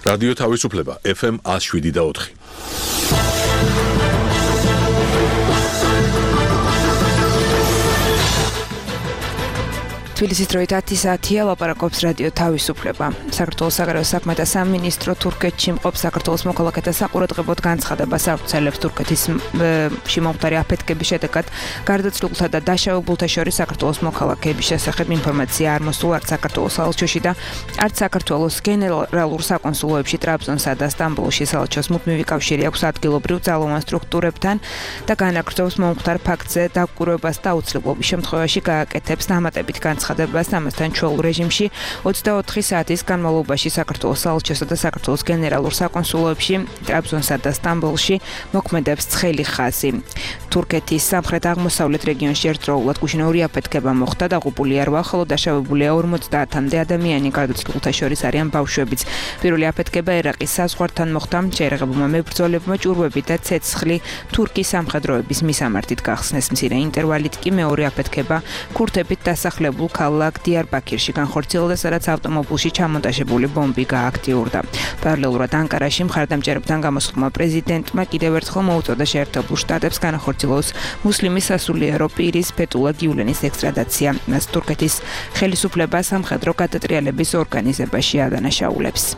რადიო თავისუფლება FM 107.4. თბილისის დროით 10 საათია ლაპარაკობს რადიო თავისუფლება. საქართველოს საგარეო საქმეთა სამინისტრო თურქეთში მყოფ საქართველოს მოქალაქეთა საყურადღებოდ განცხადებას აუცილებს თურქეთის შემომხდარი აფეთქების შედეგად გარდაცვლილთა და დაშავებულთა შორის საქართველოს მოქალაქეების შესახებ ინფორმაცია არ მოსულა არც საქართველოს საელჩოში და არც საქართველოს გენერალურ საკონსულოებში ტრაბზონსა და სტამბოლში. საელჩოს მუდმივი კავშირი აქვს ადგილობრივ ძალოვან სტრუქტურებთან და განაგრძობს მომხდარ ფაქტზე დაკვირვებას და აუცილებლობის შემთხვევაში გააკეთებს დამატებით განცხადებას ამასთან ჩვეულ რეჟიმში 24 საათის განმავლობაში საქართველოს საელჩოსა და საქართველოს გენერალურ საკონსულოებში ტრაბზონსა და სტამბოლში მოქმედებს ცხელი ხაზი. თურქეთის სამხრეთ-აღმოსავლეთ რეგიონში ერთდროულად გუშინოური აფეთქება მოხდა, დაღუპული არ ვახალო, დაშავებულია 50-მდე ადამიანი, გარდაცვლილთა შორის არიან ბავშვებიც. პირველი აფეთქება ერაყის საზღვართან მოხდა, შეერაღებულმა მებრძოლებმა ჭურვები და ცეცხლი თურქის სამხედროების მისამართით გახსნეს. მცირე ინტერვალით კი მეორე აფეთქება ქურთებით დასახლებულ ქალაქ დიარბაქირში განხორციელდა, სადაც ავტომობილში ჩამონტაჟებული ბომბი გააქტიურდა. პარალელურად ანკარაში მხარდამჭერებთან გამოსულმა პრეზიდენტმა კიდევ ერთხელ მოუწოდა შეერთებულ შტატებს განახორციელოს მუსლიმის სასულიერო პირის ფეთულა გიულენის ექსტრადაცია. მას თურქეთის ხელისუფლება სამხედრო გადატრიალების ორგანიზებაში ადანაშაულებს.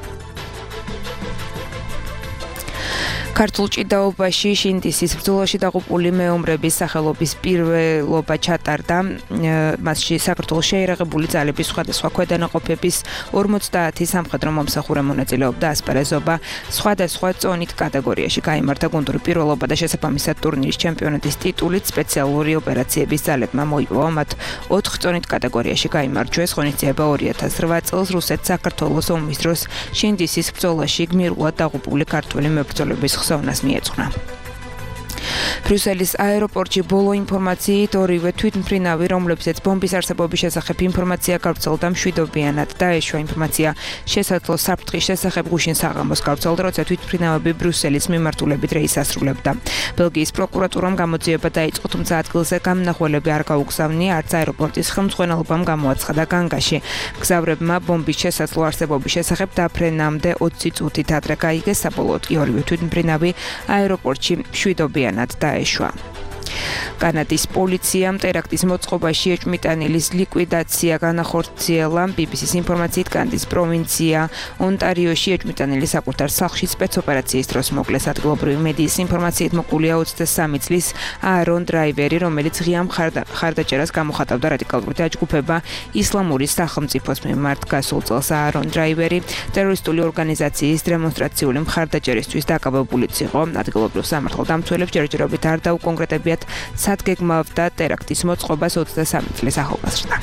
ქართულ ჭიდაობაში შინდისის ბრძოლაში დაღუპული მეომრების სახელობის პირველობა ჩატარდა. მასში საქართველოს შეერაღებული ძალების სხვადასხვა ქვედანაყოფების 50 სამხედრო მომსახურე მონაწილეობდა. ასპარეზობა სხვადასხვა წონით კატეგორიაში გაიმართა. გუნდური პირველობა და შესაბამისად ტურნირის ჩემპიონატის ტიტულით სპეციალური ოპერაციების ძალებმა მოიპოვა. მათ 4 წონით კატეგორიაში გაიმარჯვეს. ღონისძიება 2008 წელს რუსეთ-საქართველოს ომის დროს შინდისის ბრძოლაში გმირულად დაღუპული ქართველი მებრძოლების ხსოვნას მიეძღვნა. ბრიუსელის აეროპორტში ბოლო ინფორმაციით ორივე თვითმფრინავი, რომლებზეც ბომბის არსებობის შესახებ ინფორმაცია გავრცელდა, მშვიდობიანად დაეშვა. ინფორმაცია შესაძლო საფრთხის შესახებ გუშინ საღამოს გავრცელდა, როცა თვითმფრინავები ბრიუსელის მიმართულებით რეისს ასრულებდა. ბელგიის პროკურატურამ გამოძიება დაიწყო, თუმცა ადგილზე გამნახველები არ გაუგზავნია, არც აეროპორტის ხელმძღვანელობამ გამოაცხადა განგაში. მგზავრებმა ბომბის შესაძლო არსებობის შესახებ დაფრენამდე 20 წუთით ადრე გაიგეს, საბოლოოდ კი ორივე თვითმფრინავი აეროპორტში მშვიდობიანად დაეშვა. კანადის პოლიციამ ტერაქტის მოწყობაში ეჭვმიტანილის ლიკვიდაცია განახორციელა. BBC-ის ინფორმაციით კანადის პროვინცია ონტარიოში ეჭვმიტანილი საკუთარ სახლში სპეცოპერაციის დროს მოკლეს. ადგილობრივი მედიის ინფორმაციით მოკლულია 23 წლის აარონ დრაივერი, რომელიც ღია მხარდაჭერას გამოხატავდა რადიკალური დაჯგუფება ისლამური სახელმწიფოს მიმართ. გასულ წელს აარონ დრაივერი ტერორისტული ორგანიზაციის დემონსტრაციული მხარდაჭერისთვის დაკავებულიც იყო. ადგილობრივ სამართალდამცველებს ჯერჯერობით არ დაუკონკრეტებიათ სადგეგმავდა ტერაქტის მოწყობას 23 წლის ახალგაზრდა.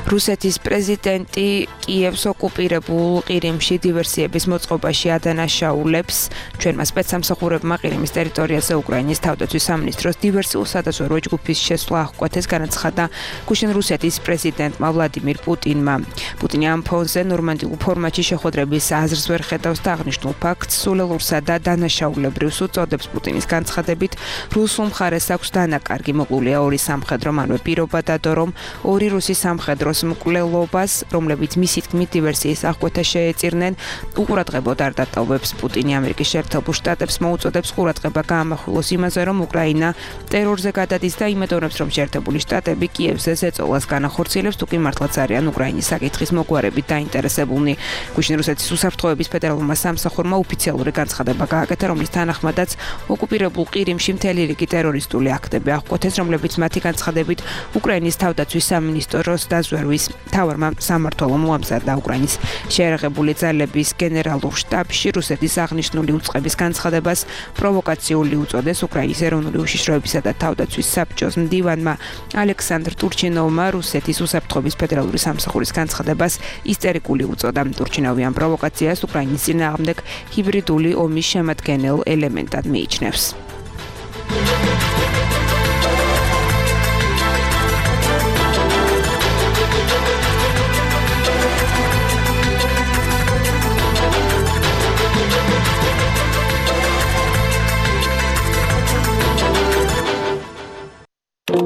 რუსეთის პრეზიდენტი კიევს ოკუპირებულ ყირიმში დივერსიების მოწყობაში ადანაშაულებს. ჩვენმა სპეცსამსახურებმა ყირიმის ტერიტორიაზე უკრაინის თავდაცვის სამინისტროს დივერსიულ სადაზვერვო ჯგუფის შესვლა აღკვეთეს, განაცხადა გუშინ რუსეთის პრეზიდენტმა ვლადიმირ პუტინმა. პუტინი ამ ფონზე ნორმანდიულ ფორმატში შეხვედრების აზრს ვერ ხედავს და აღნიშნულ ფაქტს სულელურსა და დანაშაულებრივს უწოდებს. პუტინის განცხადებით, რუსულ მხარეს აქვს დანაკარგი. მოყოლია ორი სამხედრო, მანვე პირობა დადო, რომ ორი რუსი სამხედრო მკვლელობას, რომლებიც მისი თქმით დივერსიის აღკვეთას შეეწირნენ, უყურადღებოდ არ დატოვებს. პუტინი ამერიკის შეერთებულ შტატებს მოუწოდებს ყურადღება გაამახვილოს იმაზე, რომ უკრაინა ტერორზე გადადის და იმედოვნებს, რომ შეერთებული შტატები კიევზე ზეწოლას განახორციელებს, თუ კი მართლაც არიან უკრაინის საკითხის მოგვარებით დაინტერესებულნი. გუშინ რუსეთის უსაფრთხოების ფედერალურმა სამსახურმა ოფიციალური განცხადება გააკეთა, რომლის თანახმადაც ოკუპირებულ ყირიმში მთელი რიგი ტერორისტული აქტები აღკვეთეს, რომლებიც მათი განცხადებით უკრაინის თავდაცვის სამინისტროს დაზვერვის მთავარმა სამმართველომ უამზადა. უკრაინის შეერაღებული ძალების გენერალურ შტაბში რუსეთის აღნიშნული უწყების განცხადებას პროვოკაციული უწოდეს. უკრაინის ეროვნული უშიშროებისა და თავდაცვის საბჭოს მდივანმა ალექსანდრ ტურჩინოვმა რუსეთის უსაფრთხოების ფედერალური სამსახურის განცხადებას ისტერიკული უწოდა. ტურჩინოვი ამ პროვოკაციას უკრაინის წინააღმდეგ ჰიბრიდული ომის შემადგენელ ელემენტად მიიჩნევს.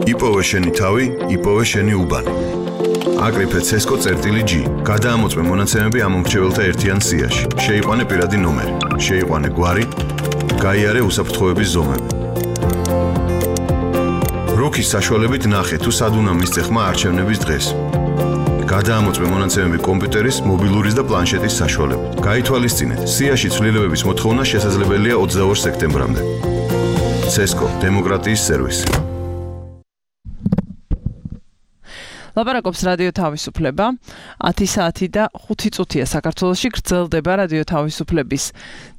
იპოვე შენი თავი, იპოვე შენი უბანი. აკრიფე CESCO.G. გადაამოწმე მონაცემები ამ მომრჩეველთა ერთიან სიაში. შეიყვანე პირადი ნომერი, შეიყვანე გვარი, გაიარე უსაფრთხოების ზომები. როქის საშუალებით ნახე თუ სად უნდა მისცე ხმა არჩევნების დღეს. გადაამოწმე მონაცემები კომპიუტერის, მობილურის და პლანშეტის საშუალებით. გაითვალისწინეთ, სიაში ცვლილებების მოთხოვნა შესაძლებელია 22 სექტემბრამდე. CESCO დემოკრატიის სერვისი. ლაპარაკობს რადიო თავისუფლება 10 საათი და 5 წუთია საქართველოში გრძელდება რადიო თავისუფლების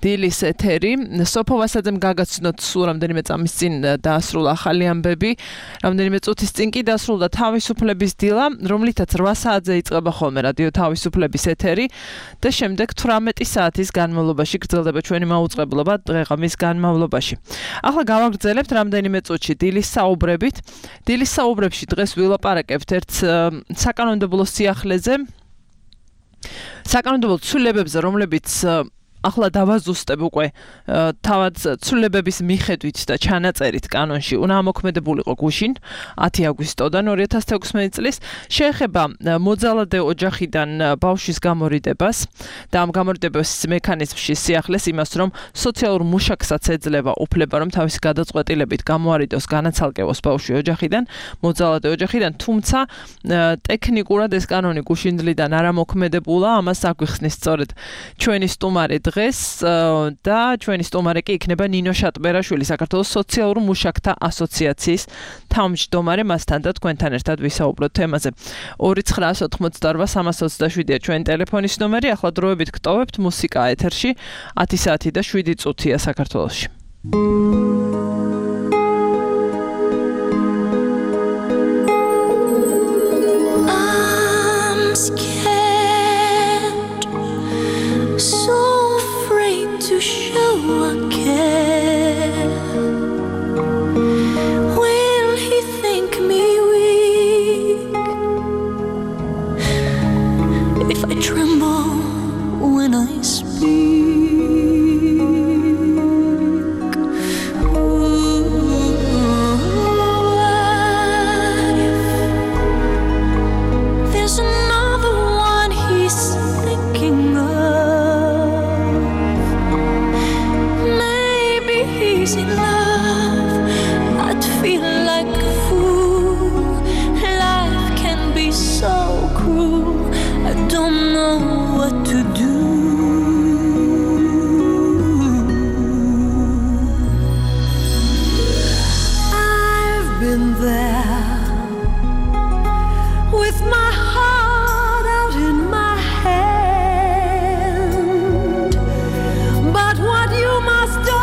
დილის ეთერი. სოფო ვასაძემ გაგაცნოთ სულ რამდენიმე წამის წინ დაასრულა ახალი ამბები, რამდენიმე წუთის წინ კი დაასრულა თავისუფლების დილა, რომლითაც 8 საათზე იწყება ხოლმე რადიო თავისუფლების ეთერი და შემდეგ 18 საათის განმავლობაში გრძელდება ჩვენი მაუწყებლობა დღე-ღამის განმავლობაში. ახლა გავაგრძელებთ რამდენიმე წუთში დილის საუბრებით. დილის საუბრებში დღეს ვილაპარაკებთ ერთ საკანონმდებლო სიახლეზე, საკანონმდებლო ცვლილებებზე, რომლებიც ახლა დავაზუსტებ უკვე თავად ცვლილებების მიხედვით და ჩანაწერით კანონში უნდა ამოქმედებულიყო გუშინ 10 აგვისტოდან 2016 წლის შეეხება მოძალადე ოჯახიდან ბავშვის გამორიდებას და ამ გამორიდების მექანიზმში სიახლეს იმას, რომ სოციალურ მუშაკსაც ეძლევა უფლება, რომ თავისი გადაწყვეტილებით გამოარიდოს განაცალკევოს ბავშვი ოჯახიდან, მოძალადე ოჯახიდან, თუმცა ტექნიკურად ეს კანონი გუშინდლიდან არ ამოქმედებულა, ამას აგვიხსნის სწორედ ჩვენი სტუმარი დღეს და ჩვენი სტუმარი კი იქნება ნინო შატბერაშვილი, საქართველოს სოციალურ მუშაკთა ასოციაციის თავმჯდომარე, მასთან და თქვენთან ერთად ვისაუბროთ თემაზე. 2988327-ია ჩვენი ტელეფონის ნომერი, ახლა დროებით გტოვებთ მუსიკა ეთერში 10 საათი და 7 წუთია საქართველოში. Show I care. Will he think me weak if I tremble when I speak? What if there's another one he's thinking of? In love, I'd feel like a fool. Life can be so cruel. I don't know what to do. I've been there with my heart out in my hand, but what you must do,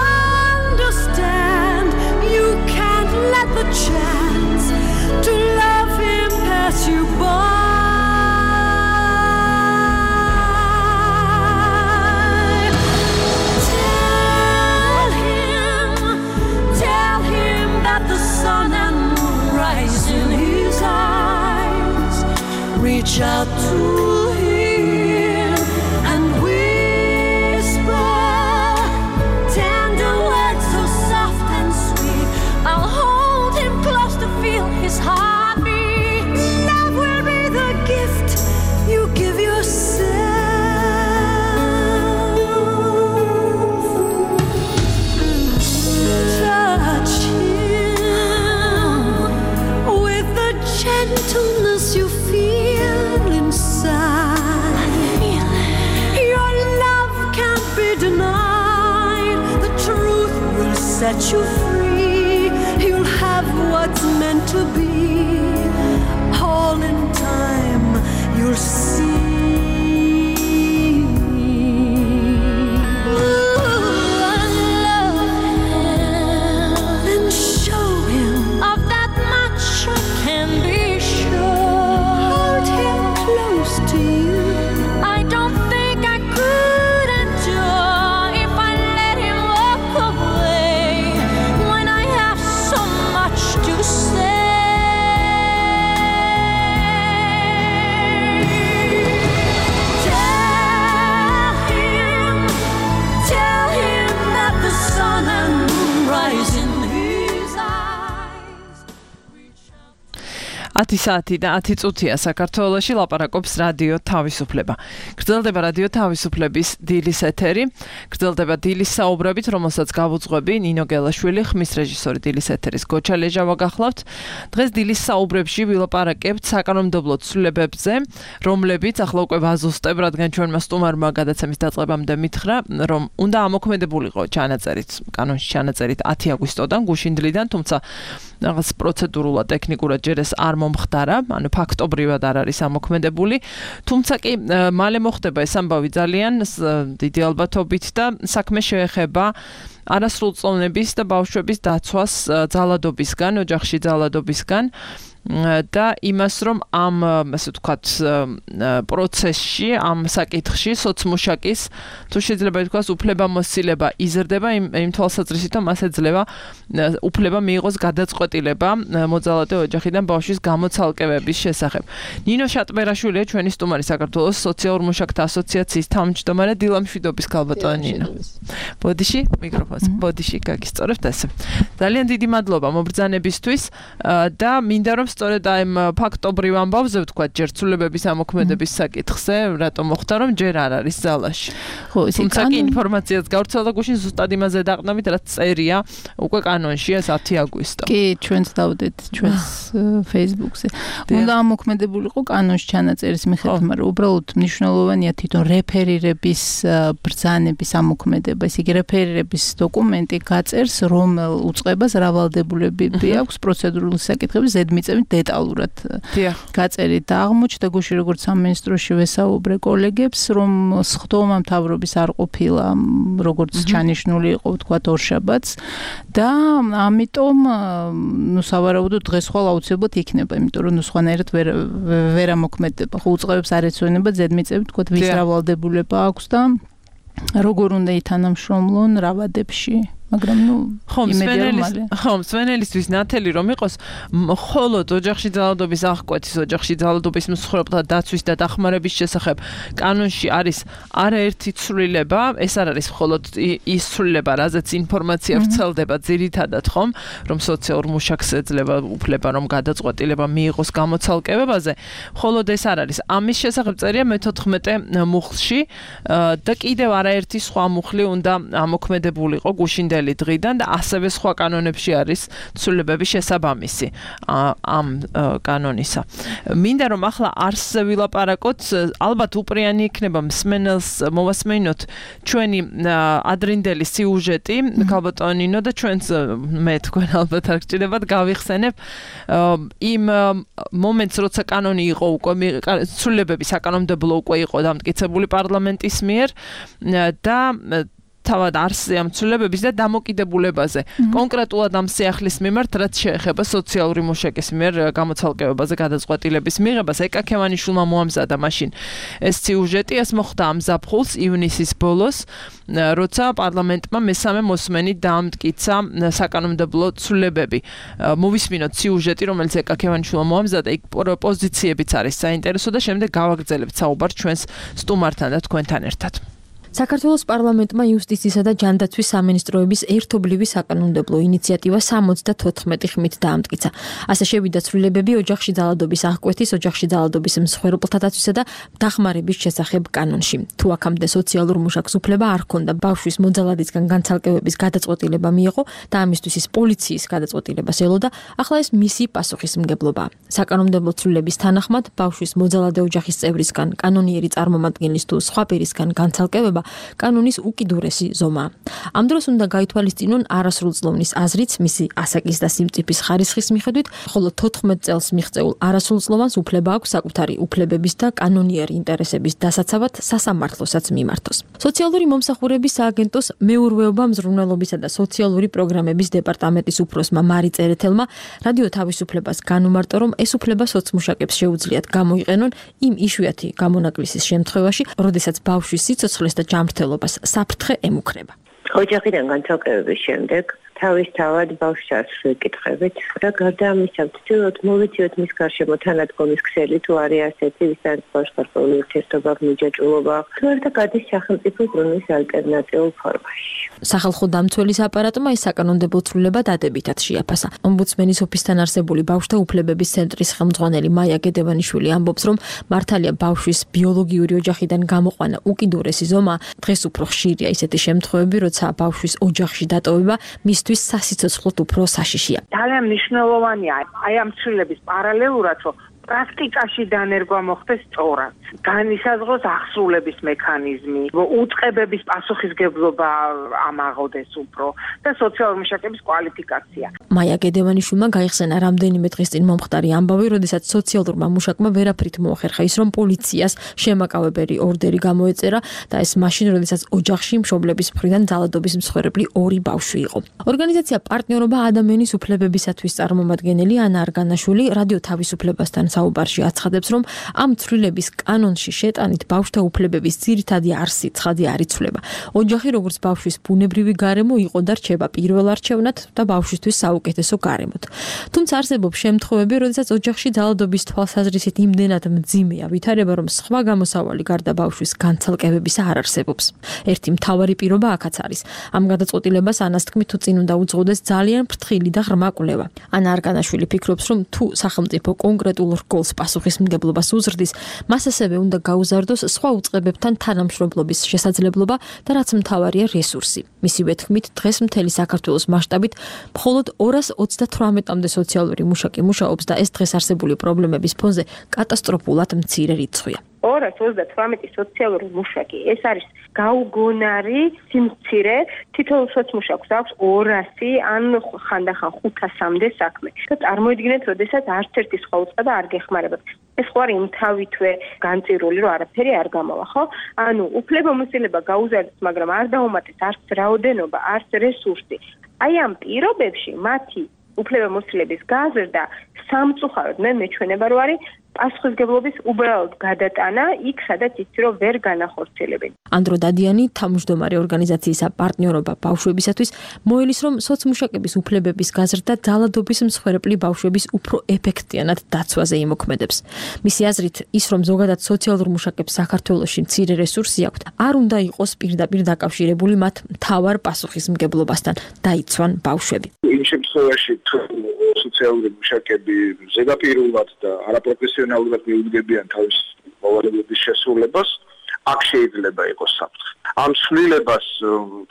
let the chance to love him pass you by. Tell him that the sun and moon rise in his eyes. Reach out to him and whisper tender words so soft and sweet. I'll hold him close to feel his heartbeat. Love will be the gift you give yourself. Touch him with the gentleness you feel inside. Your love can't be denied. The truth will set you free. You'll have what's meant to be. All in time, you'll see. And show him of that much I can be sure. Hold him close to you. I don't think I could endure if I let him walk away when I have so much to say. 10 საათი და 10 წუთია საქართველოში ლაპარაკობს რადიო თავისუფლება. გრძელდება რადიო თავისუფლების დილის ეთერი, გრძელდება დილის საუბრებით, რომელსაც გავუძღვები ნინო გელაშვილი, ხმის რეჟისორი დილის ეთერის გოჩა ლეჟავა გახლავთ. დღეს დილის საუბრებში ვილაპარაკებთ საკანონმდებლო ცვლილებებზე, რომლებიც ახლა უკვე ვაზუსტებ, რადგან ჩვენმა სტუმარმა გადაცემის დაწყებამდე მითხრა, რომ უნდა ამოქმედებულიყო ჩანაწერით, კანონში ჩანაწერით 10 აგვისტოდან გუშინდლიდან, თუმცა რაღაც პროცედურულად ტექნიკურად ჯერ ეს არ მომხდარა, ანუ ფაქტობრივად არ არის ამოქმედებული, თუმცა კი მალე მოხდება ეს ამბავი ძალიან დიდი ალბათობით და საქმე შეეხება არასრულწლოვნების და ბავშვების დაცვას ძალადობისგან, ოჯახში ძალადობისგან და იმას, რომ ამ, ასე ვთქვათ, პროცესში, ამ საკითხში სოცმუშაკის, თუ შეიძლება ითქვას, უფლებამოსილება იზრდება იმ თვალსაზრისით, რომ მას ეძლევა უფლება მიიღოს გადაწყვეტილება მოძალადე ოჯახიდან ბავშვის გამოცალკევების შესახებ. ნინო შატბერაშვილია ჩვენი სტუმარი საქართველოს სოციალურ მუშაკთა ასოციაციის თავმჯდომარე. დილამშვიდობის ქალბატონი ნინო. ბოდიში, მიკროფონს, ბოდიში გაგისწორებთ ესე. ძალიან დიდი მადლობა მობრძანებისთვის და მინდა რომ სწორედ აი ფაქტობრივ ამბავზე ვთქვათ, ჯერ ცვლილებების ამოქმედების საკითხზე, რატომ მოხდა, რომ ჯერ არ არის ზალაში. ხო, თუმცა კი ინფორმაციაც გავრცელდა გუშინ ზუსტად იმაზე დაყნობით, რაც წერია უკვე კანონში ეს 10 აგვისტო. კი, ჩვენც დავდეთ ჩვენს Facebook-ზე. უნდა ამოქმედებულიყო კანონში ჩანაწერის მიხედვით, მაგრამ უბრალოდ მნიშვნელოვანია თვითონ რეფერირების ბრძანების ამოქმედება. ესე იგი, რეფერირების დოკუმენტი გაწერს, რომელ უწყებას რა ვალდებულებები აქვს პროცედურული საკითხების ზედმიწევნით დეტალურად გაწერით და აღმოჩნდა გუშინ როგორც სამინისტროში ვესაუბრე კოლეგებს, რომ სხდომა მთავრობის არ ყოფილა, როგორც ჩანიშნული იყო, ვთქვათ, ორშაბათს და ამიტომ ნუ სავარაუდოდ დღეს ხვალ აუცილებლად იქნება, იმიტომ რომ ნუ სხვანაირად ვერ ამოქმედება. ხო უწყებებს არ ეცვენება ზედმიწევნით, ვთქვათ, ვის რა ვალდებულება აქვს და როგორ უნდა ითანამშრომლონ რა ვადებში. მაგრამ ნუ მსვენელისთვის ნათელი რომ იყოს მხოლოდ ოჯახში ძალადობის აღკვეთის, ოჯახში ძალადობის მსხვერპლთა დაცვის და დახმარების შესახებ კანონში არის არაერთი ცვლილება, ეს არ არის მხოლოდ ის ცვლილება, რაზეც ინფორმაცია ვრცელდება ძირითადად ხომ, რომ სოციალურ მუშაკს ეძლევა უფლება რომ გადაწყვეტილება მიიღოს გამოცალკევებაზე, მხოლოდ ეს არ არის. ამის შესახებ წერია მე-14 მუხლში და კიდევ არაერთი სხვა მუხლი უნდა ამოქმედებულიყო გუშინდელი დღიდან და ასევე სხვა კანონებში არის ცვლილებები შესაბამისი ამ კანონისა. მინდა რომ ახლა არსზე ვილაპარაკოთ, ალბათ უპრიანი იქნება მსმენელს მოვასმენოთ ჩვენი ადრინდელი სიუჟეტი, ქალბატონი ნინო და ჩვენც მე თქვენ ალბათ არ გჭირდებათ გავიხსენებ იმ მომენტს, როცა კანონი იყო უკვე ცვლილებები საკანონმდებლო უკვე იყო დამტკიცებული პარლამენტის მიერ და თავად არსზე ამ ცვლილებების და დამოკიდებულებაზე. კონკრეტულად ამ სიახლის მიმართ, რაც შეეხება სოციალური მუშაკის მიერ გამოცალკევებაზე გადაწყვეტილების მიღებას, ეკა ქევანიშვილმა მოამზადა მაშინ ეს სიუჟეტი, ეს მოხდა ამ ზაფხულს ივნისის ბოლოს, როცა პარლამენტმა მესამე მოსმენით დაამტკიცა საკანონმდებლო ცვლილებები. მოვისმინოთ სიუჟეტი, რომელიც ეკა ქევანიშვილმა მოამზადა, იქ პოზიციებიც არის საინტერესო და შემდეგ გავაგრძელებთ საუბარს ჩვენს სტუმართან და თქვენთან ერთად. საქართველოს პარლამენტმა იუსტიციისა და ჯანდაცვის სამინისტროების ერთობლივი საკანონმდებლო ინიციატივა 74 ხმით დაამტკიცა. ასე შევიდა ცვლილებები ოჯახში ძალადობის აღკვეთის, ოჯახში ძალადობის მსხვერპლთა დაცვისა და დახმარების შესახებ კანონში. თუ აქამდე სოციალურ მუშაკს უფლება არ ჰქონდა ბავშვის მოძალადისგან განცალკევების გადაწყვეტილება მიიღო და ამისთვის ის პოლიციის გადაწყვეტილებას ელოდა, ახლა ეს მისი პასუხისმგებლობაა. საკანონმდებლო ცვლილების თანახმად ბავშვის მოძალადე ოჯახის წევრისგან, კანონიერი წარმომადგენლის თუ სხვა პირისგან განცალკევება კანონის უკიდურესი ზომაა. ამ დროს უნდა გაითვალისწინონ არასრულწლოვნის აზრიც, მისი ასაკის და სიმწიფის ხარისხის მიხედვით, ხოლო 14 წელს მიღწეულ არასრულწლოვანს უფლება აქვს საკუთარი უფლებების და კანონიერი ინტერესების დასაცავად სასამართლოსაც მიმართოს. სოციალური მომსახურების სააგენტოს მეურვეობა, მზრუნველობისა და სოციალური პროგრამების დეპარტამენტის უფროსმა მარი წერეთელმა რადიო თავისუფლებას განუმარტო, რომ ეს უფლება სოცმუშაკებს შეუძლიათ გამოიყენონ იმ იშვიათი გამონაკლისის შემთხვევაში, როდესაც ბავშვის სიცოცხლეს და ჯანმრთელობას საფრთხე ემუქრება. ოჯახიდან განცალკევების შემდეგ თავისთავად ბავშვს არ ვეკითხებით და გარდა ამისა ვცდილობთ მოვეციოთ მის გარშემო თანადგომის ქსელი თუ არის ასეთი ვისთან ბავშვ-ქართული ურთიერთობა მიჯაჭვულობა თუ არა გადის სახელმწიფო ზრუნვის ალტერნატიულ ფორმაში. სახალხო დამცველის აპარატმა ეს საკანონმდებლო ცვლილება დადებითად შეაფასა. ომბუდსმენის ოფისთან არსებული ბავშვთა უფლებების ცენტრის ხელმძღვანელი მაია გედევანიშვილი ამბობს, რომ მართალია ბავშვის ბიოლოგიური ოჯახიდან გამოყვანა უკიდურესი ზომა, დღეს უფრო ხშირია ისეთი შემთხვევები, როცა ბავშვის ოჯახში დატოვება მისთვის სასიცოცხლოდ უფრო საშიშია. ძალიან მნიშვნელოვანია აი ამ ცვლილების პარალელურად, რომ პრაქტიკაში დანერგვა მოხდეს სწორად. განისაზღვროს აღსრულების მექანიზმი, უწყებების პასუხისგებლობა ამაღოდეს უფრო და სოციალური მუშაკების კვალიფიკაცია. მაია გედევანიშვილმა გაიხსენა რამდენიმე დღის წინ მომხდარი ამბავი, როდესაც სოციალურმა მუშაკმა ვერაფრით მოახერხა ის, რომ პოლიციას შემაკავებელი ორდერი გამოეწერა და ეს მაშინ, როდესაც ოჯახში მშობლების მხრიდან ძალადობის მსხვერპლი 2 ბავშვი იყო. ორგანიზაცია პარტნიორობა ადამიანის უფლებებისათვის წარმომადგენელი ანა არგანაშვილი რადიო თავისუფლებასთან საუბარში აცხადებს, რომ ამ ცვლილების კანონში შეტანით ბავშვთა უფლებების ძირითადი არსი ცხადი არ იცვლება. ოჯახი როგორც ბავშვის ბუნებრივი გარემო იყო და რჩება პირველ არჩევნად და ბავშვისთვის საუკეთესო გარემოთ. თუმცა არსებობს შემთხვევები, როდესაც ოჯახში ძალადობის თვალსაზრისით იმდენად მძიმეა ვითარება, რომ სხვა გამოსავალი გარდა ბავშვის განცალკევებისა არ არსებობს. ერთი მთავარი პირობა აქაც არის. ამ გადაწყვეტილებას ანას თქმით თუ წინ უნდა უძღოდეს ძალიან ფრთხილი და ღრმა კვლევა. ანა არგანაშვილი ფიქრობს, რომ თუ სახელმწიფო კონკრეტულ რგოლს პასუხისმგებლობას უზრდის, მას ასევე უნდა გაუზარდოს სხვა უწყებებთან თანამშრომლობის შესაძლებლობა და რაც მთავარია რესურსი. მისივე თქმით, დღეს მთელი საქართველოს მასშტაბით მხოლოდ 228-მდე სოციალური მუშაკი მუშაობს და ეს დღეს არსებული პრობლემების ფონზე კატასტროფულად მცირე რიცხვია. 228 სოციალური მუშაკი, ეს არის გაუგონარი სიმცირე, თითოეულ სოციმუშაკს აქვს 200 ან ხანდახან 500-მდე საქმე. და წარმოიდგინეთ, როდესაც არც ერთი სხვა უწყება არ გეხმარებათ. ეს ხო არის თავითვე განწირული, რომ არაფერი არ გამოვა, ხო? ანუ უფლებამოსილება გაუზარდოს, მაგრამ არ დაუმატეს არც რაოდენობა, არც რესურსი. აი ამ პირობებში მათი უფლებამოსილების გაზრდა სამწუხაროდ მე მეჩვენება, რომ არის პასუხისგებლობის უბრალოდ გადატანა იქ, სადაც იცი რომ ვერ განახორციელებენ. ანდრო დადიანი, თავმჯდომარე ორგანიზაციისა პარტნიორობა ბავშვებისათვის, მოელის, რომ სოციმუშაკების უფლებების გაზრდა ძალადობის მსხვერპლი ბავშვების უფრო ეფექტიანად დაცვაზე იმოქმედებს. მისი აზრით, ის რომ ზოგადად სოციალურ მუშაკებს საქართველოში მცირე რესურსი აქვთ, არ უნდა იყოს პირდაპირ დაკავშირებული მათ მთავარ პასუხისმგებლობასთან, დაიცვან ბავშვები. იმ შემთხვევაში სოციალური მუშაკები ზედაპირულად და არაპროფესიონალურად მიუდგებიან თავის მოვალეობის შესრულებას, აქ შეიძლება იყოს საფრთხე. ამ ცვლილებას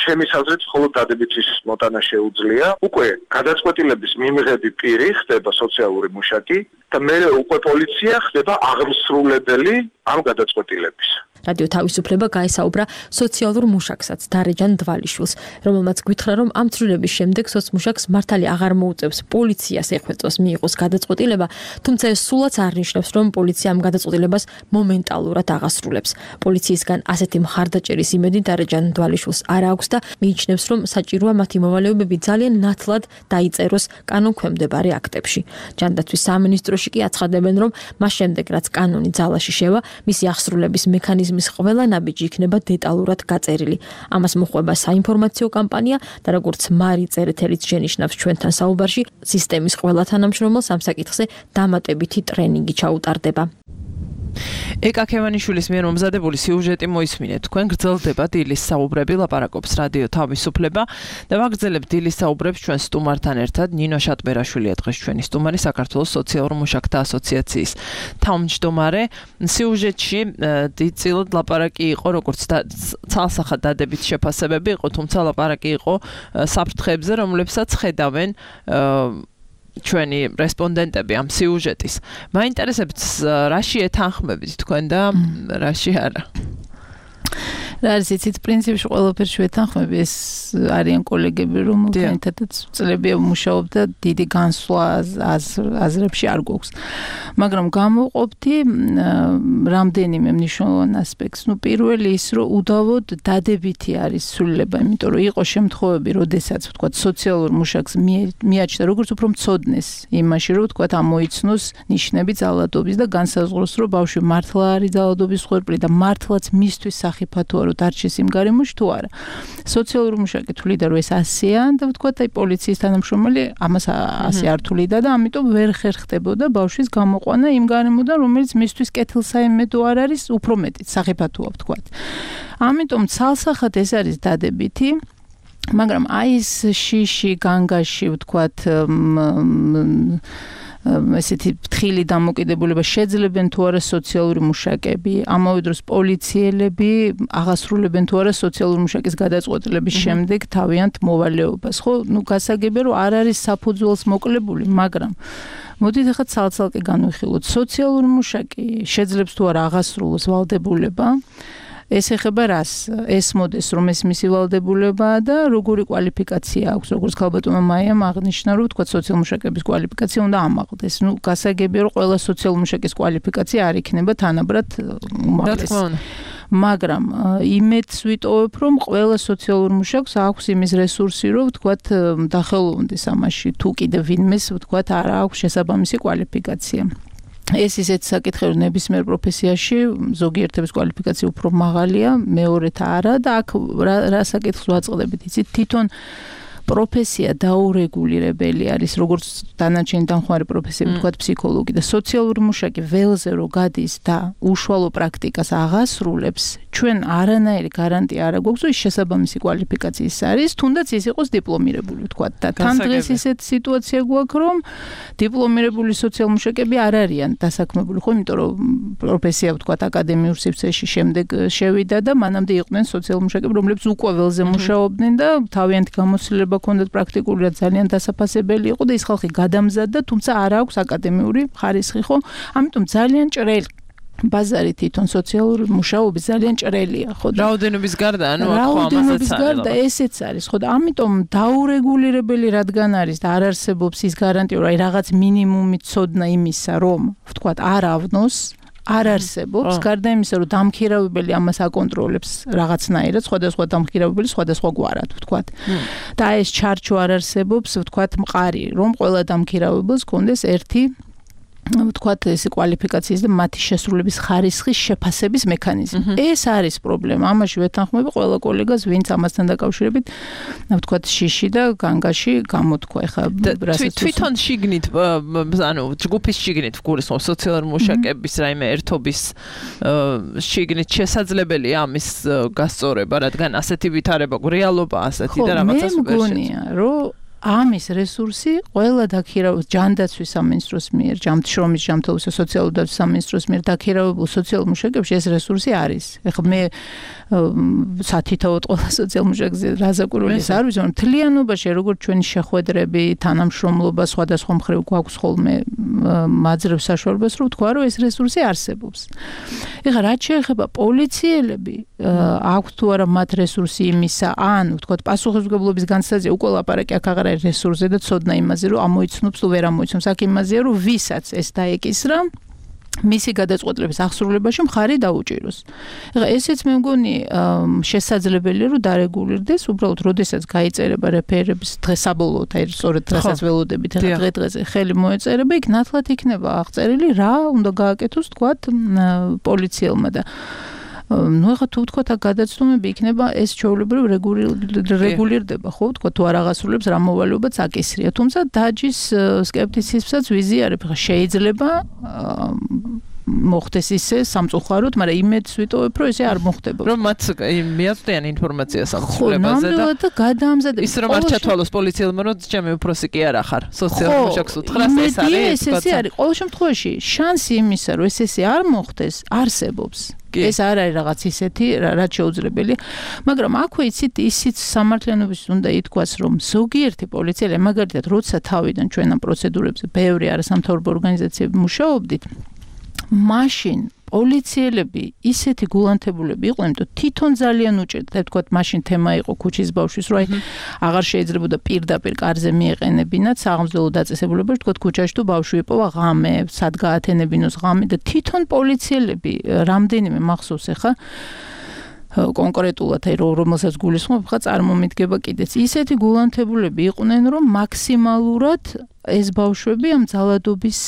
ჩემის აზრით მხოლოდ დადებითის მოტანა შეუძლია. უკვე გადაწყვეტილების მიმღები პირი ხდება სოციალური მუშაკი და მერე უკვე პოლიცია ხდება აღმსრულებელი ამ გადაწყვეტილების. რადიო თავისუფლება გაესაუბრა სოციალურ მუშაკსაც დარეჯან დვალიშვილს, რომელმაც გითხრა, რომ ამ ცვლილების შემდეგ სოციმუშაკს მართალი აღარ მოუწევს პოლიციას ეხვეწოს მიიღოს გადაწყვეტილება, თუმცა ეს სულაც არ ნიშნავს, რომ პოლიცია ამ გადაწყვეტილებას მომენტალურად აღასრულებს. პოლიციისგან ასეთი მხარდაჭერის იმედი დარეჯან დვალიშვილს არ აქვს და მიიჩნევს, რომ საჭიროა მათი მოვალეობები ძალიან ნათლად დაიწეროს კანონქვემდებარე აქტებში. ჯანდაცვის სამინისტროში კი აცხადებენ, რომ მას შემდეგ, რაც კანონი ძალაში შევა, მისი აღსრულების მექანიზმი ყველა ნაბიჯი იქნება დეტალურად გაწერილი. ამას მოყვება საინფორმაციო კამპანია და როგორც მარი წერეთელიც შენიშნავს ჩვენთან საუბარში, სისტემის ყველა თანამშრომელს ამ საკითხზე დამატებითი ტრენინგი ჩაუტარდება. ეკა ქევანიშვილის მიერ მომზადებული სიუჟეტი მოისმინეთ. თქვენ გრძელდება დილის საუბრები, ლაპარაკობს რადიო თავისუფლება და ვაგრძელებთ დილის საუბრებს ჩვენ სტუმართან ერთად. ნინო შატბერაშვილია დღეს ჩვენი სტუმარი, საქართველოს სოციალურ მუშაკთა ასოციაციის თავმჯდომარე. სიუჟეტში დიდწილად ლაპარაკი იყო, როგორც ცალსახად დადებით შეფასებები იყო, თუმცა ლაპარაკი იყო საფრთხეებზე, რომლებსაც ხედავენ ჩვენი რესპონდენტები ამ სიუჟეტის. მაინტერესებთ რაში ეთანხმებით თქვენ და რაში არა? რა არის იცით პრინციპში ყველაფერში ვეთანხმები, ეს არიან კოლეგები, რომელთანაც წლებია ვმუშაობ და დიდი განსვლა აზრებში არ გვაქვს. მაგრამ გამოვყოფდი რამდენიმე მნიშვნელოვან ასპექტს. პირველი ის, რომ უდავოდ დადებითი არის ცვლილება, იმიტომ რომ იყო შემთხვევები, როდესაც ვთქვათ სოციალურ მუშაკს მიაჩნდა როგორც უფრო მცოდნეს იმაში, რომ ვთქვათ ამოიცნოს ნიშნები ძალადობის და განსაზღვროს, რომ ბავშვი მართლა არის ძალადობის მსხვერპლი და მართლაც მისთვის სახიფათოა, რომ დარჩეს იმ გარემოში თუ არა. სოციალური მუშაკი თვლიდა რომ ეს 100-ია და ვთქვათ აი პოლიციის თანამშრომელი ამას 100 არ თვლიდა და ამიტომ ვერ ხერხდებოდა ბავშვის გამოყვანა იმ გარემოდან რომელიც მისთვის კეთილსაიმედო არ არის უფრო მეტიც სახიფათოა ვთქვათ. ამიტომ ცალსახად ეს არის დადებითი მაგრამ აი ეს შიში განგაში ვთქვათ ესეთი ფრთხილი დამოკიდებულება შეძლებენ თუ არა სოციალური მუშაკები, ამავე დროს პოლიციელები აღასრულებენ თუ არა სოციალური მუშაკის გადაწყვეტილების შემდეგ თავიანთ მოვალეობას. ხო, გასაგებია რომ არ არის საფუძველს მოკლებული, მაგრამ მოდით ახლა ცალ-ცალკე განვიხილოთ. სოციალური მუშაკი შეძლებს თუ არა აღასრულოს ვალდებულება ეს ეხება რას? ეს მოდეს რომ ეს მისი ვალდებულებაა და როგორი კვალიფიკაცია აქვს, როგორც ქალბატონმა მაიამ აღნიშნა, რომ თქვა სოციალური მუშაკების კვალიფიკაცია უნდა ამაღლდეს. გასაგებია რომ ყველა სოციალური მუშაკის კვალიფიკაცია არ იქნება თანაბრად უმაღლესი. მაგრამ იმედს ვიტოვებ, რომ ყველა სოციალურ მუშაკს აქვს იმის რესურსი, რომ ვთქვათ დახელოვნდეს ამაში, თუ კიდევ ვინმეს ვთქვათ არ აქვს შესაბამისი კვალიფიკაცია. ეს ისეთ საკითხი რომ ნებისმიერ პროფესიაში ზოგიერთების კვალიფიკაცია უფრო მაღალია, მეორეთა არა და აქ რა საკითხს ვაწყდებით, იცით, თვითონ პროფესია დაურეგულირებელი არის, როგორც დანარჩენი დამხმარე პროფესიები, თქვათ ფსიქოლოგი და სოციალური მუშაკი ველზე რო გადის და უშუალო პრაქტიკას აღასრულებს, ჩვენ არანაირი გარანტია არ აქვს, რომ ის შესაბამისი კვალიფიკაციის არის, თუნდაც ის იყოს დიპლომირებული, ვთქვათ. და თან დღეს ისეთ სიტუაცია გვაქვს, რომ დიპლომირებული სოციალურ მუშაკები არ არიან დასაქმებული, ხო, იმიტომ რომ პროფესია, ვთქვათ, აკადემიურ სივრცეში შემდეგ შევიდა და მანამდე იყვნენ სოციალურ მუშაკები, რომლებიც უკვე ველზე მუშაობდნენ და თავიანთი გამოცდილება კონდეთ პრაქტიკულად ძალიან დასაფასებელი იყო და ის ხალხი გადამზადდა, თუმცა არ აქვს აკადემიური ხარისხი, ხო? ამიტომ ძალიან ჭრელი ბაზარი თვითონ სოციალური მუშაობის ძალიან ჭრელია, ხო? რაოდენობის გარდა, ანუ აქ ხო ამასაც რაოდენობის გარდა ესეც არის, ხო? და ამიტომ დაურეგულირებელი რადგან არის და არ არსებობს ის გარანტია, რომ აი რაღაც მინიმუმი ცოდნა იმისა, რომ ვთქვათ, არ ავნოს არ არსებობს, გარდა იმისა, რომ დამქირავებელი ამას აკონტროლებს რაღაცნაირად, სხვადასხვა დამქირავებელი სხვადასხვა გვარად, ვთქვათ. და ეს ჩარჩო არ არსებობს, ვთქვათ, მყარი, რომ ყველა დამქირავებელს კონდეს ერთი ვთქვათ, ეს კვალიფიკაციის და მათი შესრულების ხარისხის შეფასების მექანიზმი. ეს არის პრობლემა. ამაში ვეთანხმები ყველა კოლეგას, ვინც ამასთან დაკავშირებით, ვთქვათ, შიში და განგაში გამოთქვა. ეხლა თვითონ შიგნით, ანუ ჯგუფის შიგნით გულისხმობ სოციალური მუშაკების რაიმე ერთობის შიგნით შესაძლებელია ამის გასწორება, რადგან ასეთი ვითარება, რეალობა ასეთი და რაღაცას ვერ მე მგონია, რომ ამის რესურსი ყველა დაქირავებულ ჯანდაცვის სამინისტროს მიერ, ჯამთშრომის ჯანმრთელობის და სოციალური დაცვის სამინისტროს მიერ დაქირავებულ სოციალურ მუშაკებში ეს რესურსი არის. ეხლა მე სათითაოდ ყველა სოციალურ მუშაკზე რაზაკურულის არ ვიცი, მაგრამ მთლიანობაში როგორც ჩვენი შეხვედრები, თანამშრომლობა სხვადასხვა მხრივ გვაქვს ხოლმე მაძრევ საშუალებას, რომ ვთქვა, რომ ეს რესურსი არსებობს. ეხლა რაც შეეხება პოლიციელები, აქვს თუ არა მათ რესურსი იმისა, ან ვთქვათ, პასუხისმგებლობის განცდაზე უკვე ლაპარაკი აქ აღარ არის რესურსზე და ცოდნა იმაზე, რომ ამოიცნობს თუ ვერ ამოიცნობს. აქ იმაზეა, რომ ვისაც ეს დაეკისრა, მისი გადაწყვეტილების აღსრულებაში მხარი დაუჭიროს. ეხლა ესეც მე მგონი შესაძლებელია, რომ დარეგულირდეს, უბრალოდ როდესაც გაიწერება რეფერების დღესაბოლოოდ, აი სწორედ დღესაც ველოდებით, ეხლა დღე-დღეზე ხელი მოეწერება, იქ ნათლად იქნება აღწერილი, რა უნდა გააკეთოს, თქვათ, პოლიციელმა და ну ეხლა თუ ვთქვათ აქ გადაცდომები იქნება ეს ჩვეულებრივ რეგულირდება, ხო, ვთქვათ, თუ არ აღასრულებს რა მოვალეობაც აკისრია, თუმცა დაჯის სკეპტიციზმსაც ვიზიარებ, ხა შეიძლება მოხდეს ისე სამწუხაროდ, მაგრამ იმედს ვიტოვებ, რომ ესე არ მოხდება. რომ მათ მიაწვდიან ინფორმაციას აღსრულებაზე და გადაამზადებენ. ის რომ არ ჩათვალოს პოლიციელმა, რომ ჩემი უფროსი კი არ ახარ, სოციალურ მუშაკს უთხრას, ეს არის. ეს არის ყოველ შემთხვევაში შანსი იმისა, რომ ესე არ მოხდეს, არსებობს. ეს არ არის რაღაც ისეთი, რაც შეუძლებელი, მაგრამ აქვე ისიც სამართლიანობის უნდა ითქვას, რომ ზოგიერთი პოლიციელი, მაგალითად, როცა თავიდან ჩვენ ამ პროცედურებზე ბევრი არასამთავრობო ორგანიზაციები მუშაობდით, მაშინ პოლიციელები ისეთი გულანთებულები იყვნენ, რომ თვითონ ძალიან უჭირდა, თქვათ, მაშინ თემა იყო ქუჩის ბავშვის, რომ აი აღარ შეიძლებოდა პირდაპირ კარზე მიეყენებინათ საღამოძველო დაწესებულებაში, თქვათ, ქუჩაში თუ ბავშვი იპოვა ღამე, სად გაათენებინოს ღამე და თვითონ პოლიციელები რამდენიმე მახსოვს ეხა კონკრეტულად აი რომელსაც გულისხმობ ხა წარმომიდგება კიდეც ისეთი გულანთებულები იყვნენ რომ მაქსიმალურად ეს ბავშვები ამ ძალადობის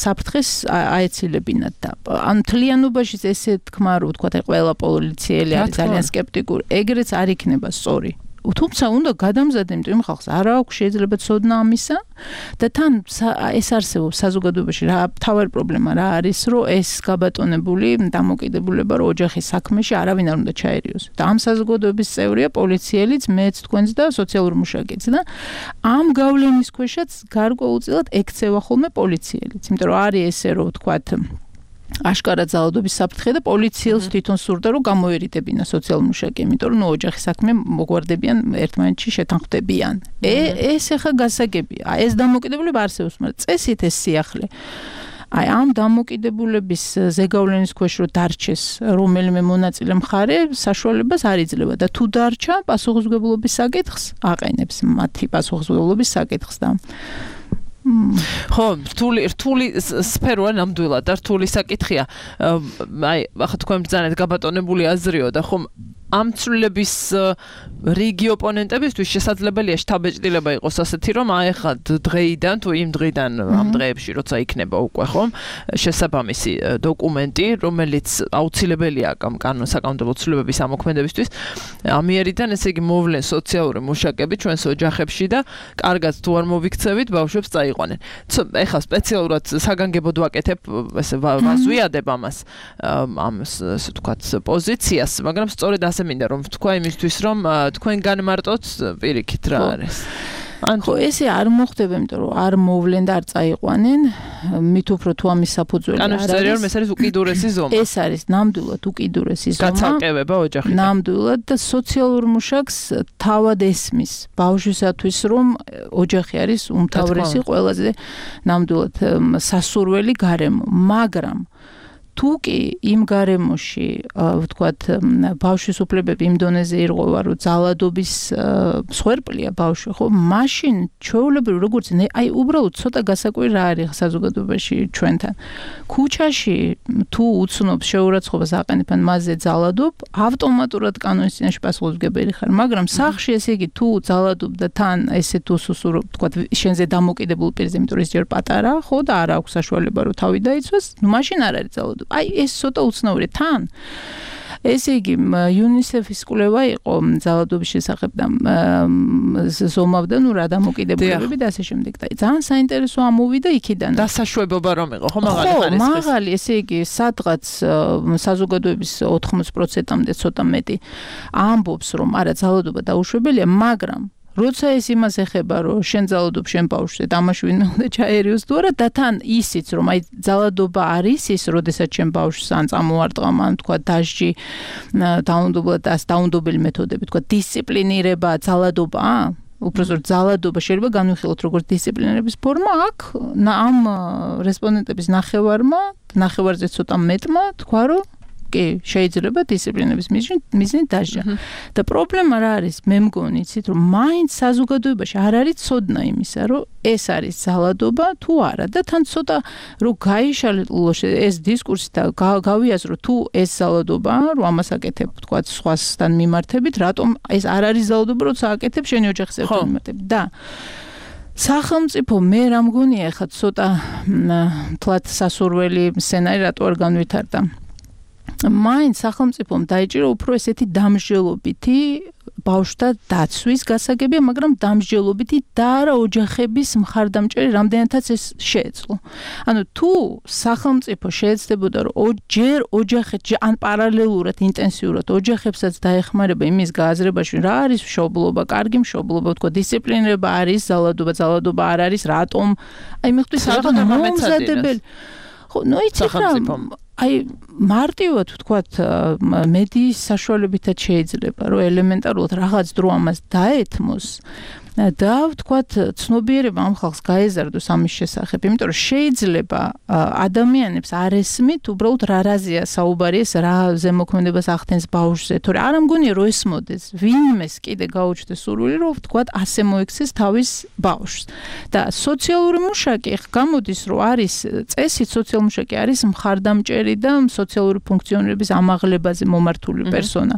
საფრთხეს აეცილებინათ და ან მთლიანობაში ესე თქმა რო ვთქვათ აი ყველა პოლიციელი არის ძალიან სკეპტიკური ეგრეც არ იქნება სწორი თუმცა უნდა გადამზადდე იმიტომ იმ ხალხს არ აქვს შეიძლება ცოდნა ამისა და თან ეს არსებობს საზოგადოებაში რა თავარი პრობლემა რა არის რომ ეს გაბატონებული დამოკიდებულება რომ ოჯახის საქმეში არავინ არ უნდა ჩაერიოს და ამ საზოგადოების წევრია პოლიციელიც მეც თქვენც და სოციალური მუშაკიც და ამ გავლენის ქვეშაც გარკვეულწილად ექცევა ხოლმე პოლიციელიც იმიტომ რომ არის ესე რომ ვთქვათ აშკარად ძალადობის საფრთხე და პოლიციელს თვითონ სურდა რომ გამოერიდებინა სოციალურ მუშაკი, იმიტომ რომ ოჯახის საქმე მოგვარდებიან ერთმანეთში შეთანხმდებიან. ეს ახლა გასაგებია. ეს დამოკიდებულება არსებობს, მაგრამ წესით ეს სიახლე აი ამ დამოკიდებულების ზეგავლენის ქვეშ რო დარჩეს რომელიმე მონაწილე მხარე საშუალებას არ იძლევა და თუ დარჩა პასუხისმგებლობის საკითხს აყენებს მათი პასუხისმგებლობის საკითხს და ხო, რთული სფეროა ნამდვილად და რთული საკითხია. აი, ახლა თქვენ ბრძანეთ გაბატონებული აზრიო და ხომ ამ ცვლილების რიგი ოპონენტებისთვის შესაძლებელია შთაბეჭდილება იყოს ასეთი რომ აი ახლა დღეიდან თუ იმ დღიდან ამ დღეებში როცა იქნება უკვე ხომ შესაბამისი დოკუმენტი რომელიც აუცილებელია საკანონმდებლო ცვლილებების ამოქმედებისთვის ამიერიდან ესე იგი მოვლენ სოციალური მუშაკები ჩვენს ოჯახებში და კარგად თუ არ მოვიქცევით ბავშვებს წაიყვანენ. ეხლა სპეციალურად საგანგებოდ ვაკეთებ ესე ვაზვიადებ ამას ამ ასე ვთქვათ პოზიციას, მაგრამ სწორედ ასე მინდა რომ თქვა იმისთვის რომ თქვენგან მარტოთ პირიქით რა არის. ხო ესე არ მოხდება, იმიტომ რომ არ მოვლენ და არ წაიყვანენ, მით უფრო თუ ამის საფუძველი არ არის. კანონში ეს არის უკიდურესი ზომა. ეს არის ნამდვილად უკიდურესი ზომა. გაცალკევება ოჯახიდან. ნამდვილად და სოციალურ მუშაკს თავად ესმის ბავშვისათვის რომ ოჯახი არის უმთავრესი ყველაზე ნამდვილად სასურველი გარემო, მაგრამ თუ კი იმ გარემოში ვთქვათ ბავშვის უფლებები იმ დონეზე ირღვევა რომ ძალადობის მსხვერპლია ბავშვი ხო მაშინ ჩვეულებრივ როგორც აი უბრალოდ ცოტა გასაკვირი რა არის საზოგადოებაში ჩვენთან ქუჩაში თუ უცნობს შეურაცხყოფას აყენებენ მასზე ძალადობ ავტომატურად კანონის წინაშე პასუხისმგებელი ხარ მაგრამ სახლში ესე იგი თუ ძალადობ და თან ესე თუ სუსურო ვთქვათ შენზე დამოკიდებულ პირზე იმიტომ რომ ის ჯერ პატარა ხო და არ აქვს საშუალება რომ თავი დაიცვას ნუ მაშინ არ არის ძალადობა აი ეს ცოტა უცნაური თან ესე იგი UNICEF-ის კვლევა იყო ძალადობის შესახებ და ზომავდა ნუ რა დამოკიდებულებები და ასე შემდეგ და ძალიან საინტერესო ამოვიდა იქიდან დასაშვებობა რომ იყო ხო მაღალი ხარისხის მაღალი ესე იგი სადღაც საზოგადოების 80%-მდე ცოტა მეტი ამბობს რომ არა ძალადობა დაუშვებელია მაგრამ როცა ეს იმას ეხება რომ შენ ძალადობ შენ ბავშვზე და ამაში ვინმე უნდა ჩაერიოს თუ არა და თან ისიც რომ აი ძალადობა არის ის როდესაც შენ ბავშვს ან წამოარტყამ ან თქვა დასჯი დაუნდობელი მეთოდები თქვა დისციპლინირება ძალადობაა უბრალოდ ძალადობა შეიძლება განვიხილოთ როგორც დისციპლინირების ფორმა აქ ამ რესპონდენტების ნახევარზე ცოტა მეტმა თქვა რომ კი შეიძლება დისციპლინების მიზნით დასჯა და პრობლემა რა არის მე მგონი იცით რომ მაინც საზოგადოებაში არ არის ცოდნა იმისა რომ ეს არის ძალადობა თუ არა და თან ცოტა რომ გაიშალო ეს დისკურსი და გავიაზრო თუ ეს ძალადობაა რომ ამას აკეთებ თქვა სხვასთან მიმართებით რატომ ეს არ არის ძალადობა როცა აკეთებ შენი ოჯახის ერთთან მიმართებით და სახელმწიფო მე რა მგონია ხა ცოტა თლათ სასურველი სცენარი რატო არ განვითარდა მაინც სახელმწიფომ დაიჭირო უფრო ესეთი დამსჯელობითი ბავშვთა დაცვის გასაგებია, მაგრამ დამსჯელობითი და არა ოჯახების მხარდამჭერი რამდენადაც ეს შეეძლო. ანუ თუ სახელმწიფო შეეცდებოდა რომ ჯერ ოჯახეთში ან პარალელურად ინტენსიურად ოჯახებსაც დაეხმარება იმის გააზრებაში რა არის მშობლობა, კარგი მშობლობა, თქო დისციპლინირება არის, ძალადობა არ არის, რატომ? აი მეხთვის რატომ მომზადებელი? ხო, ნუ იცით რა აი მარტივად ვთქვათ მედიის საშუალებითაც შეიძლება რომ ელემენტარულად რაღაც დრო ამას დაეთმოს და ვთქვათ, ცნობიერება ამ ხალხს გაეზარდოს ამის შესახებ, იმიტომ რომ შეიძლება ადამიანებს არ ესმით, უბრალოდ რა რაზეა საუბარი, ეს რა ზემოქმედებას ახდენს ბავშვზე, თორე არ მგონია რომ ესმოდეს, ვინმეს კიდე გაუჩნდეს სურვილი, რომ ვთქვათ, ასე მოექცეს თავის ბავშვს. და სოციალური მუშაკი გამოდის, რომ არის წესით სოციალური მუშაკი არის მხარდამჭერი და სოციალური ფუნქციონირების ამაღლებაზე მომართული პერსონა,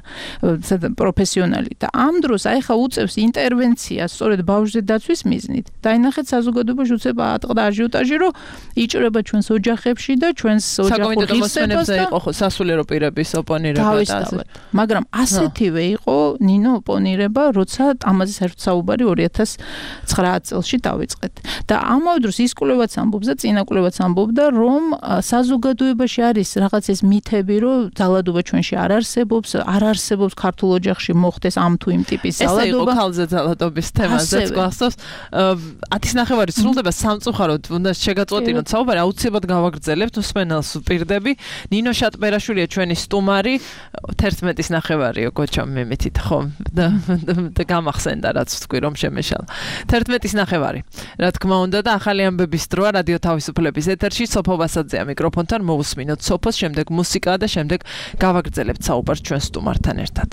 პროფესიონალი და ამ დროს აი ხა უწევს ინტერვენციას სწორედ ბავშვზე დაცვის მიზნით. დაინახეთ საზოგადოებაში უწება ატყდა აჟიოტაჟი, რომ იჭრება ჩვენს ოჯახებში და ჩვენს ოჯახურ ღირსებას და იყო სასულიერო პირების ოპონირება და ასე. მაგრამ ასეთივე იყო ნინო ოპონირება, როცა ამაზე საერთოდ საუბარი 2009 წელს დავიწყეთ. და ამავე დროს ის კვლევაც ამბობს და წინა კვლევაც ამბობდა, რომ საზოგადოებაში არის რაღაც ეს მითები, რომ ძალადობა ჩვენში არ არსებობს ქართულ ოჯახში მოხდეს ამ თუ იმ ტიპის ძალადობა. ეს იყო ქალზე ძალადობის თემაზეც გვახსოვს. 10:09 სრულდება სამწუხაროდ, უნდა შეგაწყვეტინოთ საუბარი, აუცილებლად გავაგრძელებთ მსმენელს ვპირდები. ნინო შატბერაშვილია ჩვენი სტუმარი, 11:09 გოჩამ მემეთით ხო და გამახსენდა რაც თქვი რომ შემეშალა. 11:09 რა თქმა უნდა და ახალი ამბების დროა რადიო თავისუფლების ეთერში სოფო ვასაძეა მიკროფონთან მოусმინოთ სოფოს, შემდეგ მუსიკა და შემდეგ გავაგრძელებთ საუბარს ჩვენ სტუმართან ერთად.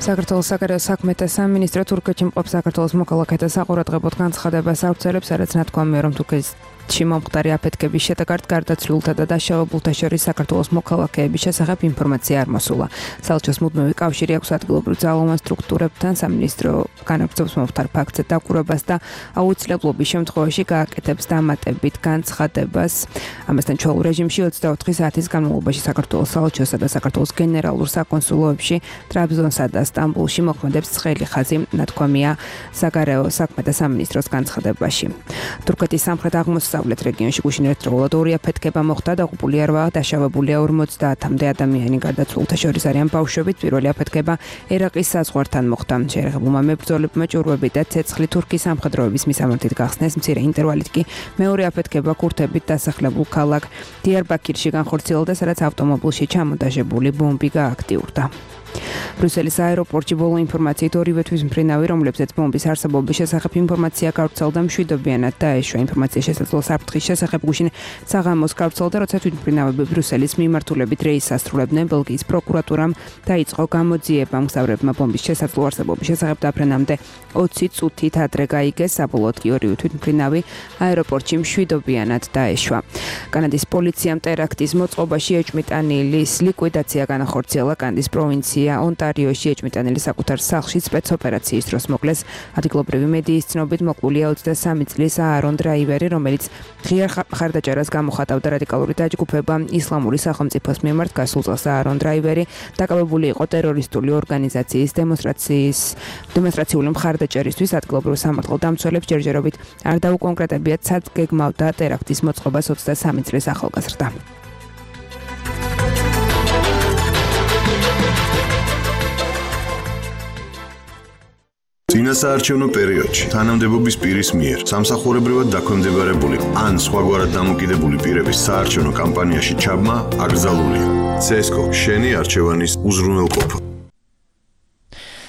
საქართველოს საგარეო საქმეთა სამინისტრო თურქეთში მყოფ საქართველოს მოქალაქეთა საყურადღებოდ განცხადებას აუცილებს, სადაც ნათქვამია, რომ თურქეთში მომხდარი აფეთქების შედეგად გარდაცვლილთა და დაშავებულთა შორის საქართველოს მოქალაქეების შესახებ ინფორმაცია არ მოსულა. საელჩოს მუდმივი კავშირი აქვს ადგილობრივ ძალოვან სტრუქტურებთან, სამინისტრო განაგრძობს მომხდარ ფაქტზე დაკვირვებას და აუცილებლობის შემთხვევაში გააკეთებს დამატებით განცხადებას. ამასთან ჩვეულ რეჟიმში 24 საათის განმავლობაში საქართველოს საელჩოსა და საქართველოს გენერალურ საკონსულოებში ტრაბზონსა და სტამბულში მოქმედებს ცხელი ხაზი, ნათქვამია საგარეო საქმეთა სამინისტროს განცხადებაში. თურქეთის სამხრეთ-აღმოსავლეთ რეგიონში გუშინ ერთდროულად 2 აფეთქება მოხდა, დაღუპულია 8, დაშავებულია 50-მდე ადამიანი, გარდაცვლილთა შორის არიან ბავშვებით. პირველი აფეთქება ერაყის საზღვართან მოხდა. შეერაღებულმა მებრძოლებმა ჭურვები და ცეცხლი თურქის სამხედროების მისამართით გახსნეს, მცირე ინტერვალით კი მეორე აფეთქება ქურთებით დასახლებულ ქალაქ დიარბაქირში განხორციელდა, სადაც ავტომობილში ჩამონტაჟებული ბომბი გააქტიურდა. ბრიუსელის აეროპორტში ბოლო ინფორმაციით ორივე თვის მფრინავი, რომლებზეც ბომბის არსებობის შესახებ ინფორმაცია გავრცელდა, მშვიდობიანად დაეშვა. ინფორმაციის შესაძლო საფრთხის შესახებ გუშინ საღამოს გავრცელდა, როცა თვითმფრინავები ბრიუსელის მიმართულებით რეისს ასრულებდნენ. ბელგიის პროკურატურამ დაიწყო გამოძიება მგზავრებმა ბომბის შესაძლო არსებობის შესახებ დაფრენამდე 20 წუთით ადრე გაიგეს. საბოლოოდ კი ორივე თვითმფრინავი აეროპორტში მშვიდობიანად დაეშვა. კანადის პოლიციამ ტერაქტის მოწყობაში ეჭმიტანილის ლიკვიდაცია განახორციელა. კანადის პროვინცია ონტარიოში ეჭმიტანილი საკუთარ სახლში სპეცოპერაციის დროს მოკლეს. ადგილობრივი მედიის ცნობით მოკლულია 23 წლის აარონ დრაივერი, რომელიც ღიარ მხარდაჭერას გამოხატავდა რადიკალური დაჯგუფება ისლამური სახელმწიფოს მიმართ. გასულ წელს აარონ დრაივერი დაკავებული იყო ტერორისტული ორგანიზაციის დემონსტრაციული მხარდაჭერისთვის. ადგილობრივ სამართალ დამცველებს ჯერჯერობით არ დაუკონკრეტებიათ, სად გეგმავდა ტერაქტის მოწყობას 23 წლის ახალგაზრდა. წინასაარჩევნო პერიოდში თანამდებობის პირის მიერ სამსახურებრივად დაქვემდებარებული ან სხვაგვარად დამოკიდებული პირების საარჩევნო კამპანიაში ჩაბმა აკრძალულია. CSGO შენი არჩევანის უზრუნველყოფა.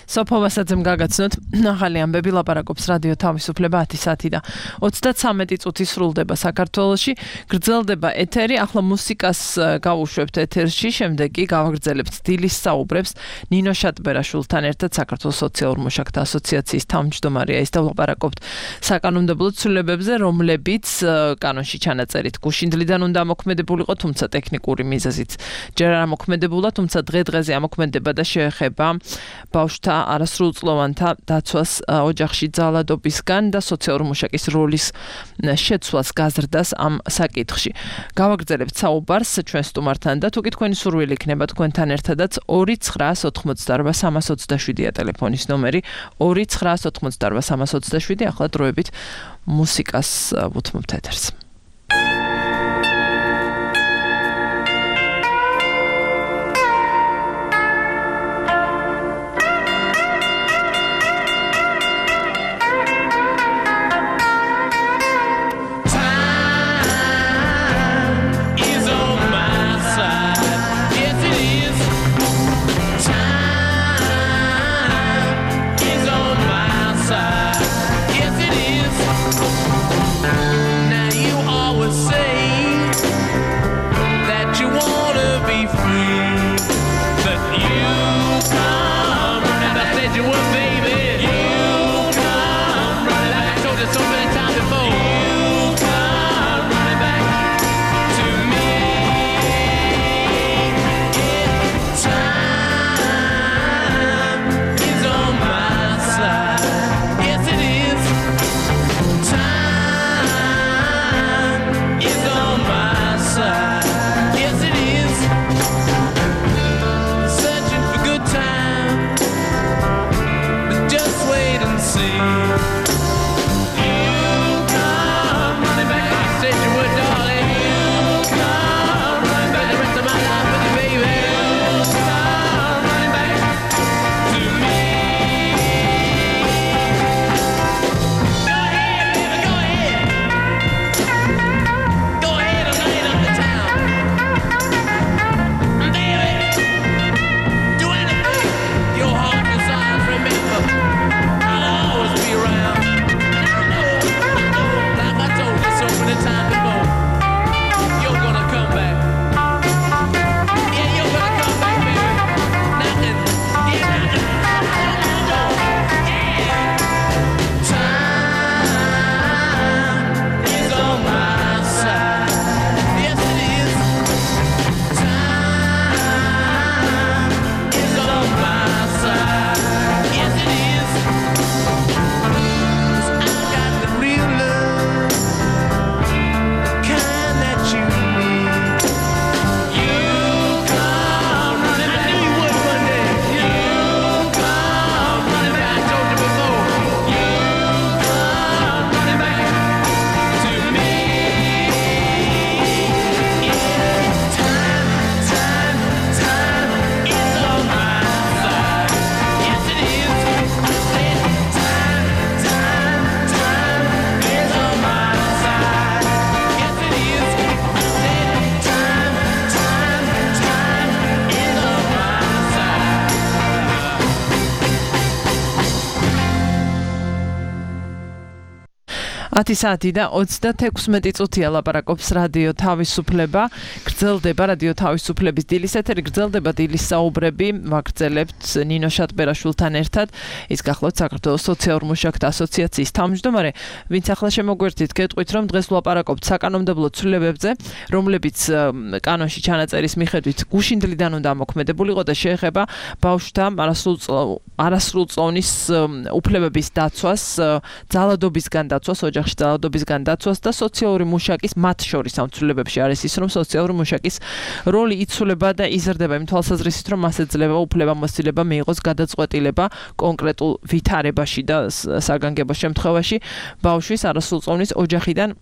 სოფო ვასაძემ გაგაცნოთ ახალი ამბები, ლაპარაკობს რადიო თავისუფლება 10 საათი და 33 წუთი სრულდება საქართველოში. გრძელდება ეთერი, ახლა მუსიკას გავუშვებთ ეთერში, შემდეგ კი გავაგრძელებთ დილის საუბრებს ნინო შატბერაშვილთან ერთად, საქართველოს სოციალურ მუშაკთა ასოციაციის თავმჯდომარეა ის და ვლაპარაკობთ საკანონმდებლო ცვლილებებზე, რომლებიც კანონში ჩანაწერით გუშინდლიდან უნდა ამოქმედებულიყო, თუმცა ტექნიკური მიზეზით ჯერ არ ამოქმედებულა, თუმცა დღე-დღეზე ამოქმედება და შეეხება ბავშვთა არასრულწლოვანთა დაცვას ოჯახში ძალადობისგან და სოციალურ მუშაკის როლის შეცვლას გაზრდას ამ საკითხში. გავაგრძელებთ საუბარს ჩვენ სტუმართან და თუ კი თქვენი სურვილი იქნება თქვენთან ერთადაც 2988327-ა ტელეფონის ნომერი 2988327. ახლა დროებით მუსიკას ვუთმობთ ეთერს. Time is on my side. 10 საათი და 36 წუთია ლაპარაკობს რადიო თავისუფლება. გრძელდება რადიო თავისუფლების დილის ეთერი, გრძელდება დილის საუბრები, ვაგრძელებთ ნინო შატბერაშვილთან ერთად. ის გახლავთ საქართველოს სოციალურ მუშაკთა ასოციაციის თავმჯდომარე, ვინც ახლა შემოგვერთით, გეტყვით, რომ დღეს ვლაპარაკობთ საკანონმდებლო ცვლილებებზე, რომლებიც კანონში ჩანაწერის მიხედვით გუშინდლიდან უნდა მოქმედებულიყო და შეეხება ბავშვთა არასრულწლოვნის უფლებების დაცვას, ძალადობისგან დაცვას, ოჯახში ძალადობისგან დაცვას და სოციალური მუშაკის მათ შორის ამ ცვლილებებში არის ის, რომ სოციალური მუშაკის როლი იცვლება და იზრდება იმ თვალსაზრისით, რომ მას ეძლევა უფლებამოსილება მიიღოს გადაწყვეტილება კონკრეტულ ვითარებაში და საგანგებო შემთხვევაში ბავშვის არასრულწლოვნის ოჯახიდან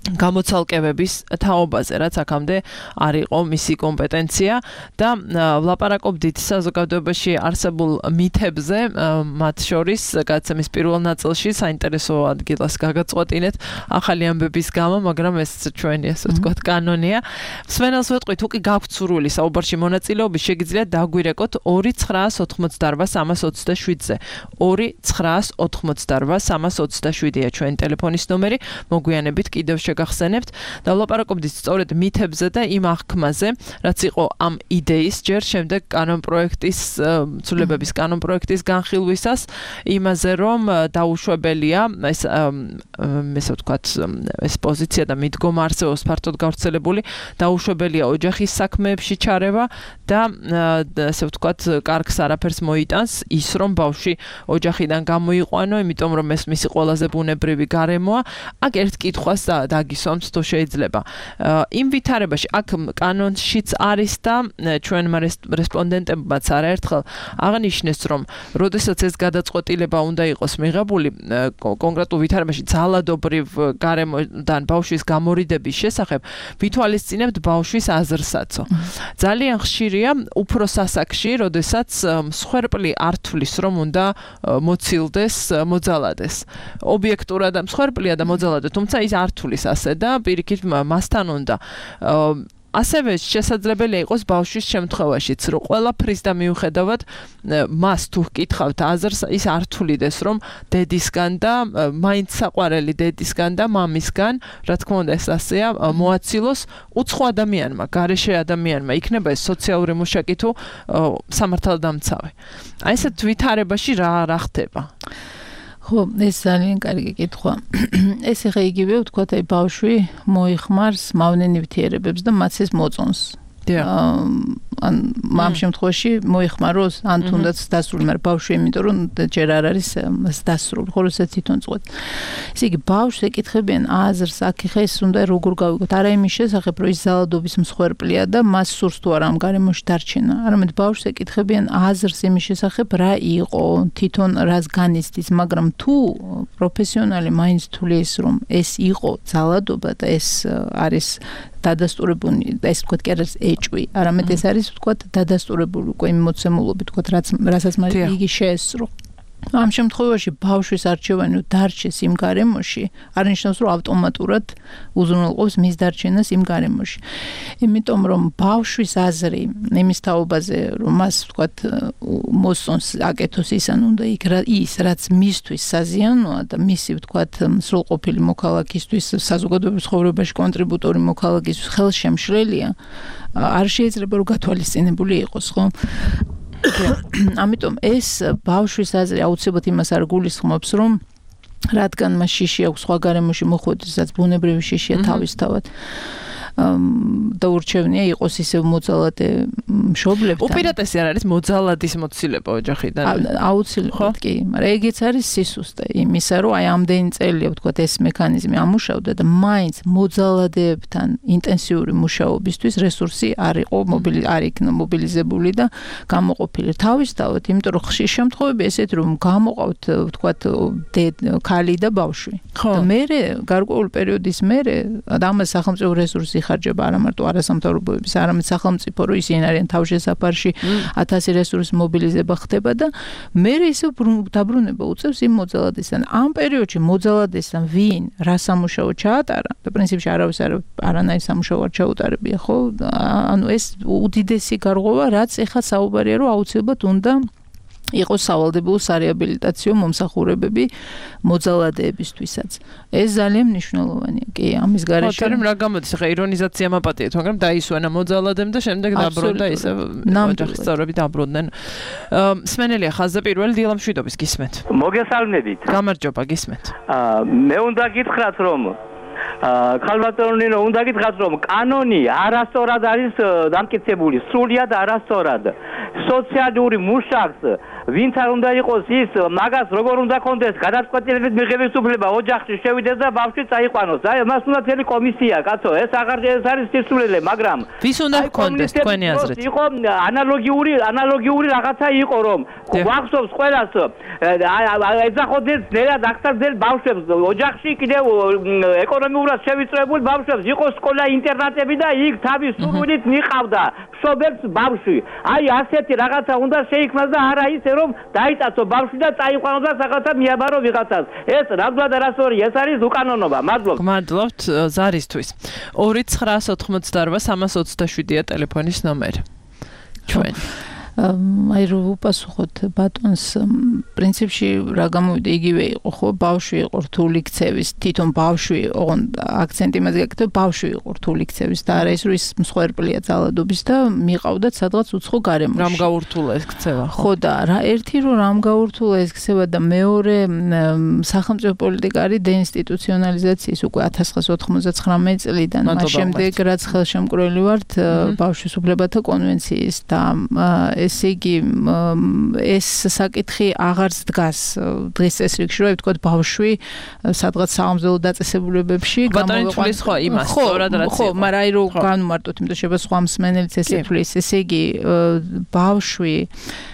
გამოცალკევების თაობაზე, რაც აქამდე არ იყო მისი კომპეტენცია და ვლაპარაკობდით საზოგადოებაში არსებულ მითებზე, მათ შორის გადაცემის პირველ ნაწილში საინტერესო ადგილას გაგაწყვეტინეთ ახალი ამბების გამო, მაგრამ ეს ჩვენი ასე ვთქვათ კანონია. სვენელს ვეტყვით, უკი გაქვთ სურვილი საუბარში მონაწილეობის, შეგიძლიათ დაგვირეკოთ 2988327-ზე. 2988327-ია ჩვენი ტელეფონის ნომერი. მოგვიანებით კიდევ გახსენებთ და ვლაპარაკობდით სწორედ მითებზე და იმ აღქმაზე, რაც იყო ამ იდეის ჯერ შემდეგ კანონპროექტის ცვლილებების კანონპროექტის განხილვისას, იმაზე რომ დაუშვებელია ესე ვთქვათ ეს პოზიცია და მიდგომა არსებობს ფართოდ გავრცელებული, დაუშვებელია ოჯახის საქმეებში ჩარევა და ესე ვთქვათ კარგს არაფერს მოიტანს ის, რომ ბავშვი ოჯახიდან გამოიყვანო, იმიტომ რომ ეს მისი ყველაზე ბუნებრივი გარემოა. აქ ერთ კითხვას გისვამთ თუ შეიძლება. იმ ვითარებაში აქ კანონშიც არის და ჩვენმა რესპონდენტებმაც არაერთხელ აღნიშნეს, რომ როდესაც ეს გადაწყვეტილება უნდა იყოს მიღებული კონკრეტულ ვითარებაში ძალადობრივ გარემოდან ბავშვის გამორიდების შესახებ, ვითვალისწინებთ ბავშვის აზრსაცო. ძალიან ხშირია უფრო სასაკში, როდესაც მსხვერპლი არ თვლის, რომ უნდა მოცილდეს, მოძალადეს. ობიექტურად მსხვერპლია და მოძალადე, თუმცა ის არ თვლის ასე და პირიქით მასთან უნდა ასევე შესაძლებელია იყოს ბავშვის შემთხვევაშიც, რომ ყველაფრის და მიუხედავად მას თუ გკითხავთ აზრს, ის არ თვლიდეს, რომ დედისგან და მაინც საყვარელი დედისგან და მამისგან, რა თქმა უნდა ეს ასეა, მოაცილოს უცხო ადამიანმა, გარეშე ადამიანმა, იქნება ეს სოციალური მუშაკი თუ სამართალდამცავი. აი ესეთ ვითარებაში რა ხდება? ხო, ეს ძალიან კარგი კითხვა. ეს ახლა იგივე ვთქვათ, აი ბავშვი მოიხმარს მავნე ნივთიერებებს და მას ეს მოწონს. ან ამ შემთხვევაში მოიხმაროს, ან თუნდაც დასრული, მაგრამ ბავშვი იმიტომ რომ ჯერ არ არის დასრული, ხოლო ეს თვითონ წყვეტ. ესე იგი ბავშვს ეკითხებიან აზრს, აქ ხა ეს უნდა როგორ გავიგოთ, არა იმის შესახებ, რომ ის ძალადობის მსხვერპლია და მას სურს თუ არა ამ გარემოში დარჩენა, არამედ ბავშვს ეკითხებიან აზრს იმის შესახებ, რა იყო, თვითონ რას განიცდის, მაგრამ თუ პროფესიონალი მაინც თulis, რომ ეს იყო ძალადობა და ეს არის დადასტურებული, ეს ვთქვათ კი არის ეჭვი, არამედ ეს არის ვთქვათ დადასტურებული უკვე იმ მოცემულობით, ვთქვათ რასაც მას იგი შეესწრო. ამ შემთხვევაში ბავშვის არჩევანი დარჩეს იმ გარემოში, არ ნიშნავს რომ ავტომატურად უზრუნველყოფს მის დარჩენას იმ გარემოში. იმიტომ რომ ბავშვის აზრი იმის თაობაზე, რომ მას ვთქვათ მოსწონს აკეთოს ის ან უნდა ის რაც მისთვის საზიანოა და მისი ვთქვათ სრულყოფილი მოქალაქისთვის საზოგადოების ცხოვრებაში კონტრიბუტორი მოქალაქისთვის ხელშემშლელია, არ შეიძლება რომ გათვალისწინებული იყოს, ხო? ამიტომ ეს ბავშვის აზრი აუცილებლად იმას არ გულისხმობს, რომ რადგან მას შიში აქვს სხვა გარემოში მოხვედრისაც ბუნებრივი შიშია თავისთავად და ურჩევნია იყოს ისევ მოძალადე მშობლებთან. უპირატესი არ არის მოძალადის მოცილება ოჯახიდან. აუცილებლად კი, მაგრამ ეგეც არის სისუსტე იმისა, რომ აი ამდენი წელია ვთქვათ ეს მექანიზმი ამუშავდა და მაინც მოძალადეებთან ინტენსიური მუშაობისთვის რესურსი არ იქნა მობილიზებული და გამოყოფილი. თავისთავად, იმიტომ რომ ხშირ შემთხვევები ესეთი რომ გამოყავთ ვთქვათ ქალი და ბავშვი. და მერე გარკვეული პერიოდის მერე ამას სახელმწიფო რესურსი ხარჯება არა მარტო არასამთავრობოების, არამედ სახელმწიფო რო ისინი არიან თავშესაფარში 1000 რესურსის მობილიზება ხდება და მერე ისე დაბრუნება უწევს იმ მოძალადესთან. ამ პერიოდში მოძალადესთან ვინ რა სამუშაო ჩაატარა და პრინციპში არავის არანაირ სამუშაო არ ჩაუტარებია, ხო? ანუ ეს უდიდესი გარღვევა, რაც ეხლა საუბარია, რომ აუცილებლად უნდა იყო სავალდებულო სარეაბილიტაციო მომსახურებები მოძალადეებისთვისაც. ეს ძალიან მნიშვნელოვანია. კი, ამის გარეშე. მაგრამ რა გამოდის ხა ირონიზაცია მაპატიეთ, მაგრამ დაისვენა მოძალადემ და შემდეგ დაბრუნდა ისე ოჯახის წევრები დაბრუნდნენ. სმენელია ხაზზე პირველი დილამშვიდობის გისმენთ. მოგესალმებით. გამარჯობა, გისმენთ. მე უნდა გითხრათ რომ ქალბატონინო უნდა გითხრათ რომ კანონი არასწორად არის დამტკიცებული, სრულიად არასწორად. სოციალური მუშაკს ვინც არ უნდა იყოს ის მაგას როგორ უნდა კონდეს გადაწყვეტილებით მიღების უფლება ოჯახში შევიდეს და ბავშვი წაიყვანოს. აი მას უნდა წელი კომისია, კაცო, ეს არის სისულელე, მაგრამ ვის უნდა კონდეს თქვენი აზრით? იყო ანალოგიური რაღაცა იყო რომ გვახსოვს ყველას ეძახოდნენ ნერად აღსაძელ ბავშვებს ოჯახში კიდევ ეკონომიურად შევიწროებულ ბავშვებს იყო სკოლა ინტერნატები და იქ თავის სურვილით მიყავდა მშობელს ბავშვი. აი ასეთი რაღაცა უნდა შეიქმნას და არა ისე რომ დაიწაცო ბავშვი და წაიყვანოს და რაღაცა მიაბარო ვიღაცას. ეს რადგან არასწორია, ეს არის უკანონობა. მადლობთ. მადლობთ ზარისთვის. 2988327-ია ტელეფონის ნომერი. ჩვენ აი რო უპასუხოთ ბატონს პრინციპში რა გამოვიდა იგივე იყო ხო ბავშვი იყო რთული ქცევის თვითონ ბავშვი ოღონდ აქცენტი მას გაკეთებ ბავშვი იყო რთული ქცევის და არა ის რომ ის მსხვერპლია ძალადობის და მიყავდათ სადღაც უცხო გარემოში რამ გაურთულა ეს ქცევა ხო და რა ერთი რომ რამ გაურთულა ეს ქცევა და მეორე სახელმწიფო პოლიტიკა არის დეინსტიტუციონალიზაციის უკვე 1999 წლიდან მას შემდეგ რაც ხელშემკრელი ვართ ბავშვის უფლებათა კონვენციის და ესე იგი ეს საკითხი აღარც დგას დღეს წესრიგში რომ ვთქვათ ბავშვი სადღაც საამზელო დაწესებულებებში გამოიყვანს ხო იმას სწორად რაც ხო მაგრამ აი რომ განმარტოთ იმიტომ შეება სხვა მსმენელიც ესე თulis ესე იგი ბავშვი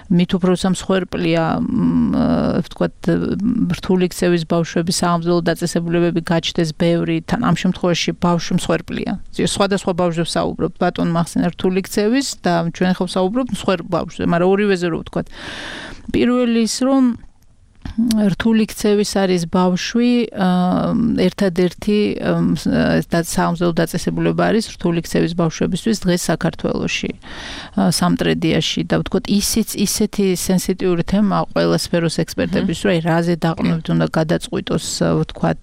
მით უფრო სამსხვერპლია ვთქვათ რთული ქცევის ბავშვების საამზელო დაწესებულებები გაჩნდეს ბევრი თან ამ შემთხვევაში ბავშვი მსხვერპლია სხვადასხვა ბავშვებს საუბრობთ ბატონ მახსენა რთული ქცევის და ჩვენ ხო საუბრობთ ბავშვზე, მაგრამ ორივეზე რო ვთქვათ. პირველი ის რომ რთული ქცევის არის ბავშვი, ერთადერთი საამზელო დაწესებულება არის რთული ქცევის ბავშვებისთვის დღეს საქართველოში, სამტრედიაში და ვთქვათ ისეთი სენსიტიური თემა ყველა სფეროს ექსპერტების რომ რაზე დაყრდნობით უნდა გადაწყვიტოს ვთქვათ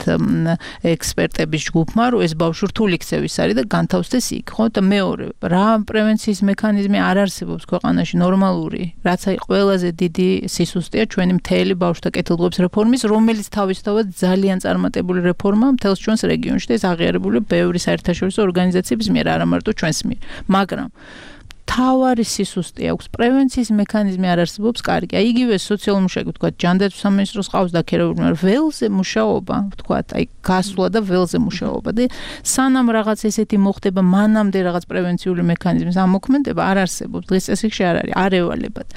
ექსპერტების ჯგუფმა რომ ეს ბავშვი რთული ქცევის არის და განთავსდეს იქ, ხო? და მეორე, რა პრევენციის მექანიზმი არ არსებობს ქვეყანაში ნორმალური, რაც აი ყველაზე დიდი სისუსტეა ჩვენი მთელი ბავშვთა კეთილდღეობის რეფორმის, რომელიც თავისთავად ძალიან წარმატებული რეფორმაა მთელს ჩვენს რეგიონში და ეს აღიარებული ბევრი საერთაშორისო ორგანიზაციების მიერ, არა მარტო ჩვენს მიერ. მაგრამ თავარი სისუსტე აქვს, პრევენციის მექანიზმი არ არსებობს კარგი. აი იგივე სოციალური მუშაკი, ვთქვათ, ჯანდაცვის სამინისტროს ყავს დაქირავებული, მაგრამ ველზე მუშაობა, ვთქვათ, აი გასვლა და ველზე მუშაობა და სანამ რაღაც ესეთი მოხდება, მანამდე რაღაც პრევენციული მექანიზმის ამოქმედება არ არსებობს. დღეს წესრიგში არ არის, არ ევალებათ.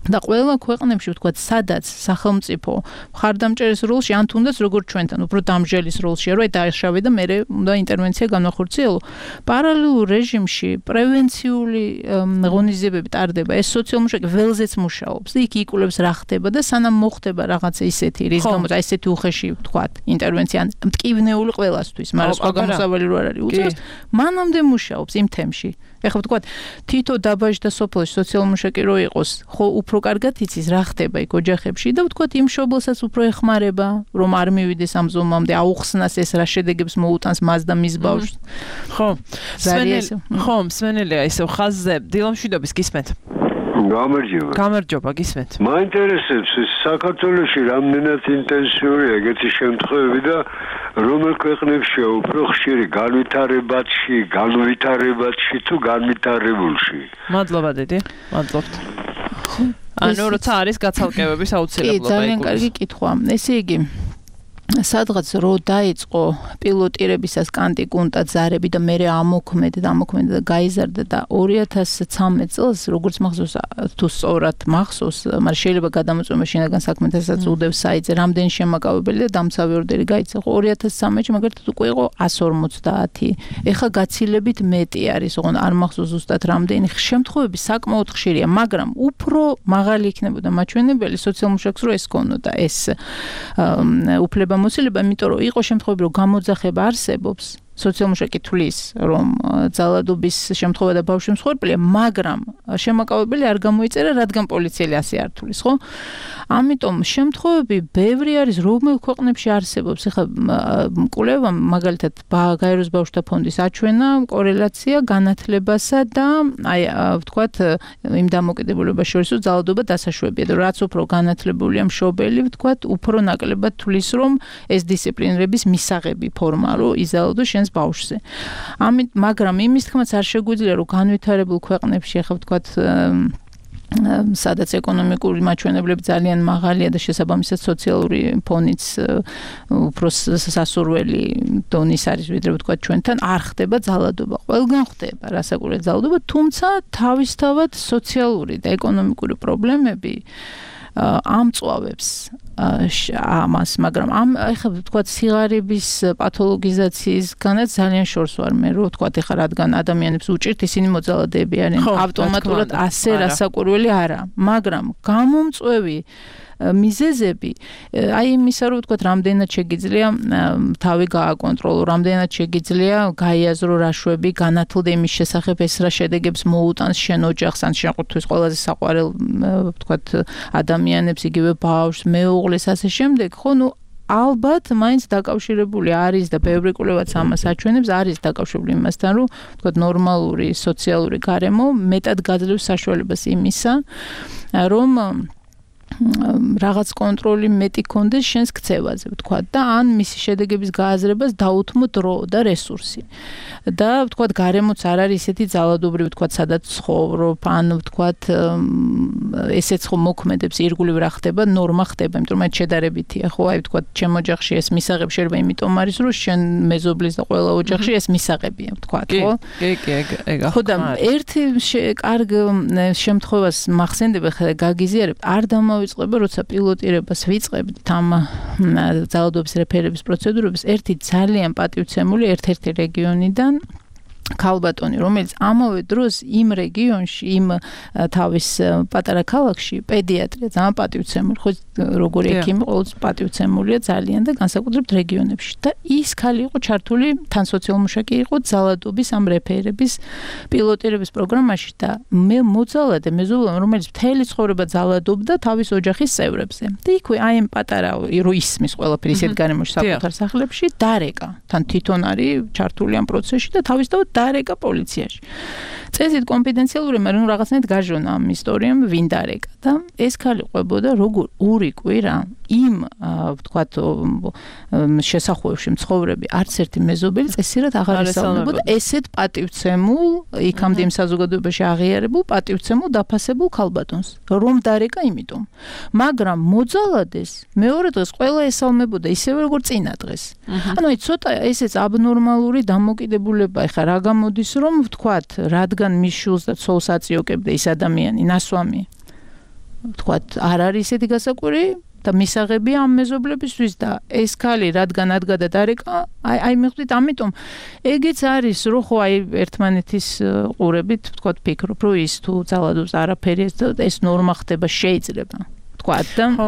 და ყველა ქვეყნებში ვთქვათ, სადაც სახელმწიფო მხარდამჭერის როლში, ან თუნდაც როგორც ჩვენთან, უფრო დამჟელის როლშია, რომ დააშავე და მე უნდა ინტერვენცია განახორციელო. პარალელურ რეჟიმში პრევენციული ღონისძიებები ტარდება, ეს სოციალური მუშაკი ველზეც მუშაობს და იქ იკვლევს რა ხდება და სანამ მოხდება რაღაცა ისეთი, რის გამოც აი ესეთი უხეში ვთქვათ, ინტერვენცია მტკივნეული ყველასთვის, მაგრამ სხვა გამოსავალი რო არ არის უწევს, მანამდე მუშაობს იმ თემში. ეხლა ვთქვათ, თითო დაბაჟი და სოფელში სოციალური მუშაკი რო იყოს, ხო უფრო კარგად იცის რა ხდება იქ ოჯახებში და ვთქვათ იმ მშობელსაც უფრო ეხმარება რომ არ მივიდეს ამ ზომამდე აუხსნას ეს რა შედეგებს მოუტანს მას და მის ბავშვს. ხო. სმენელია ისევ ხაზზე დილამშვიდობის გისმენთ. გამარჯობა გისმენთ. მაინტერესებს საქართველოში რამდენად ინტენსიურია ეგეთი შემთხვევები და რომელ ქვეყნებშია უფრო ხშირი განვითარებაში თუ განვითარებულში. მადლობა დედი, მადლობთ. ანუ როცა არის გაცალკევების აუცილებლობა. კი, ძალიან კარგი კითხვა. ესე იგი სადღაც რო დაიწყო პილოტირებისას კანტიკუნტა ზარები და მე ამოქმედა და გაიზარდა და 2013 წელს როგორც მახსოვს თუ სწორად მახსოვს, მაგრამ შეიძლება გადამოწმება შინაგან საქმეთასაც უდევს საიტზე რამდენი შემაკავებელი და დამცავი ორდერი გაიცა. 2013-ში მაგალითად უკვე იყო 150. ეხა გაცილებით მეტი არის, ოღონდ არ მახსოვს ზუსტად რამდენი. შემთხვევები საკმაოდ ხშირია, მაგრამ უფრო მაღალი იქნებოდა მაჩვენებელი სოციალურ მუშაკს რო ეს ქონოდა ეს უფლება მოსილება, იმიტომ რომ იყო შემთხვევები, რომ გამოძახება არსებობს სოციალმუშაკი თვლის, რომ ძალადობის შემთხვევა და ბავშვი მსხვერპლია, მაგრამ შემაკავებელი არ გამოიწერა, რადგან პოლიციელი ასე არ თვლის, ხო? ამიტომ შემთხვევები ბევრი არის, რომელ ქვეყნებში არსებობს. ეხლა კვლევამ მაგალითად გაეროს ბავშვთა ფონდის აჩვენა კორელაცია განათლებასა და აი ვთქვათ იმ დამოკიდებულებას შორის, რომ ძალადობა დასაშვებია და რაც უფრო განათლებულია მშობელი, ვთქვათ, უფრო ნაკლებად თვლის, რომ ეს დისციპლინების მისაღები ფორმა, რომ იზალადოს შენს ბავშვზე. მაგრამ იმის თქმაც არ შეგვიძლია, რომ განვითარებულ ქვეყნებში, ახლა ვთქვათ, სადაც ეკონომიკური მაჩვენებლები ძალიან მაღალია და შესაბამისად სოციალური ფონიც უფრო სასურველი დონის არის, ვიდრე ვთქვათ ჩვენთან, არ ხდება ძალადობა. ყველგან ხდება რასაკვირველია ძალადობა, თუმცა თავისთავად სოციალური და ეკონომიკური პრობლემები ამწვავებს ამას, მაგრამ ეხლა ვთქვათ სიგარების პათოლოგიზაციისგანაც ძალიან შორს ვარ მე, რომ ვთქვათ ეხლა რადგან ადამიანებს უჭირთ, ისინი მოძალადეები არიან, ავტომატურად ასე რასაკვირველი არა, მაგრამ გამომწვევი მიზეზები, აი იმისა, რომ ვთქვათ, რამდენად შეგიძლია თავი გააკონტროლო, რამდენად შეგიძლია გაიაზრო რაშვები, განათლდე იმის შესახებ, ეს რა შედეგებს მოუტანს შენ ოჯახს, ან შეყუთვის ყველაზე საყვარელ, ვთქვათ, ადამიანებს, იგივე ბავშვს, მეუღლეს, ასე შემდეგ, ხო, ნუ ალბათ მაინც დაკავშირებული არის და ბევრი კვლევაც ამას აჩვენებს, არის დაკავშირებული იმასთან, რომ ვთქვათ, ნორმალური სოციალური გარემო მეტად გაძლევს საშუალებას იმისა, რომ რაღაც კონტროლი მეტი კონდეს შენს ქცევაზე, ვთქვათ, და ან მისი შედეგების გააზრებას დაუთმო დრო და რესურსი. და ვთქვათ, გარემოც არ არის ისეთი ძალადობრივი, ვთქვათ, სადაც ცხოვრობ, ან ვთქვათ, ესეც ხო მოქმედებს, ირგვლივ რა ხდება, ნორმა ხდება, იმიტომ რომ შედარებითია, ხო, აი ვთქვათ, ჩემ ოჯახში ეს მისაღები შეიძლება იმიტომ არის, რომ შენ მეზობლის და ყველა ოჯახში ეს მისაღებია, ვთქვათ, ხო? კი, ეგ. ხო, და ერთი კარგ შემთხვევას მახსენდება, ხა გაგიზიარებთ, არ დავიწყება, როცა პილოტირებას ვიწყებთ ამ ძალადობის რეფერების პროცედურების, ერთი ძალიან პატივცემული ერთ-ერთი რეგიონიდან ქალბატონი, რომელიც ამავე დროს იმ რეგიონში, იმ თავის პატარა ქალაქში პედიატრია ძალიან პატივცემული, ხო როგორი ექიმი ყოველთვის პატივცემულია ძალიან და განსაკუთრებით რეგიონებში. და ის ქალი იყო ჩართული, თან სოციალმუშაკი იყო ძალადობის ამ რეფერების პილოტირების პროგრამაში და მე მოძალადე მეზობლმა, რომელიც მთელი ცხოვრება ძალადობდა თავის ოჯახის წევრებზე. და იქვე აი ამ პატარა რო ისმის ყველაფერი ისეთ გარემოში საკუთარ სახლებში დარეკა. თან თვითონ არის ჩართული ამ პროცესში და თავისთავად დარეკა პოლიციაში. წესით კონფიდენციალური, მაგრამ რაღაცნაირად გაჟონა ამ ისტორიამ ვინ დარეკა და ეს ქალი ყვებოდა როგორ ორი კვირა იმ ვთქვათ შესახვევში მცხოვრები არც ერთი მეზობელი წესიერად აღარ ისწავლდებოდა ესეთ პატივცემულ იქამდე იმ საზოგადოებაში აღიარებულ პატივცემულ დაფასებულ ქალბატონს რომ დარეკა იმიტომ მაგრამ მოძალადეს მეორე დღეს ყველა ესალმებოდა ისევე როგორც წინა დღეს ანუ აი ცოტა ესეც აბნორმალური დამოკიდებულება ეხა რა გამოდის რომ ვთქვათ რადგან მის შულს და ცოლს აწიოკებდა ის ადამიანი ნასვამი ვთქვათ არ არის ესეთი გასაკვირი და მისაღებია ამ მეზობლებისთვის და ეს ქალი რადგან ადგა და დარეკა აი მივხვდით ამიტომ ეგეც არის რომ ხო აი ერთმანეთის ყურებით ვთქვათ ფიქრობ რომ ის თუ ძალადობს არაფერი ეს ნორმა ხდება შეიძლება ხო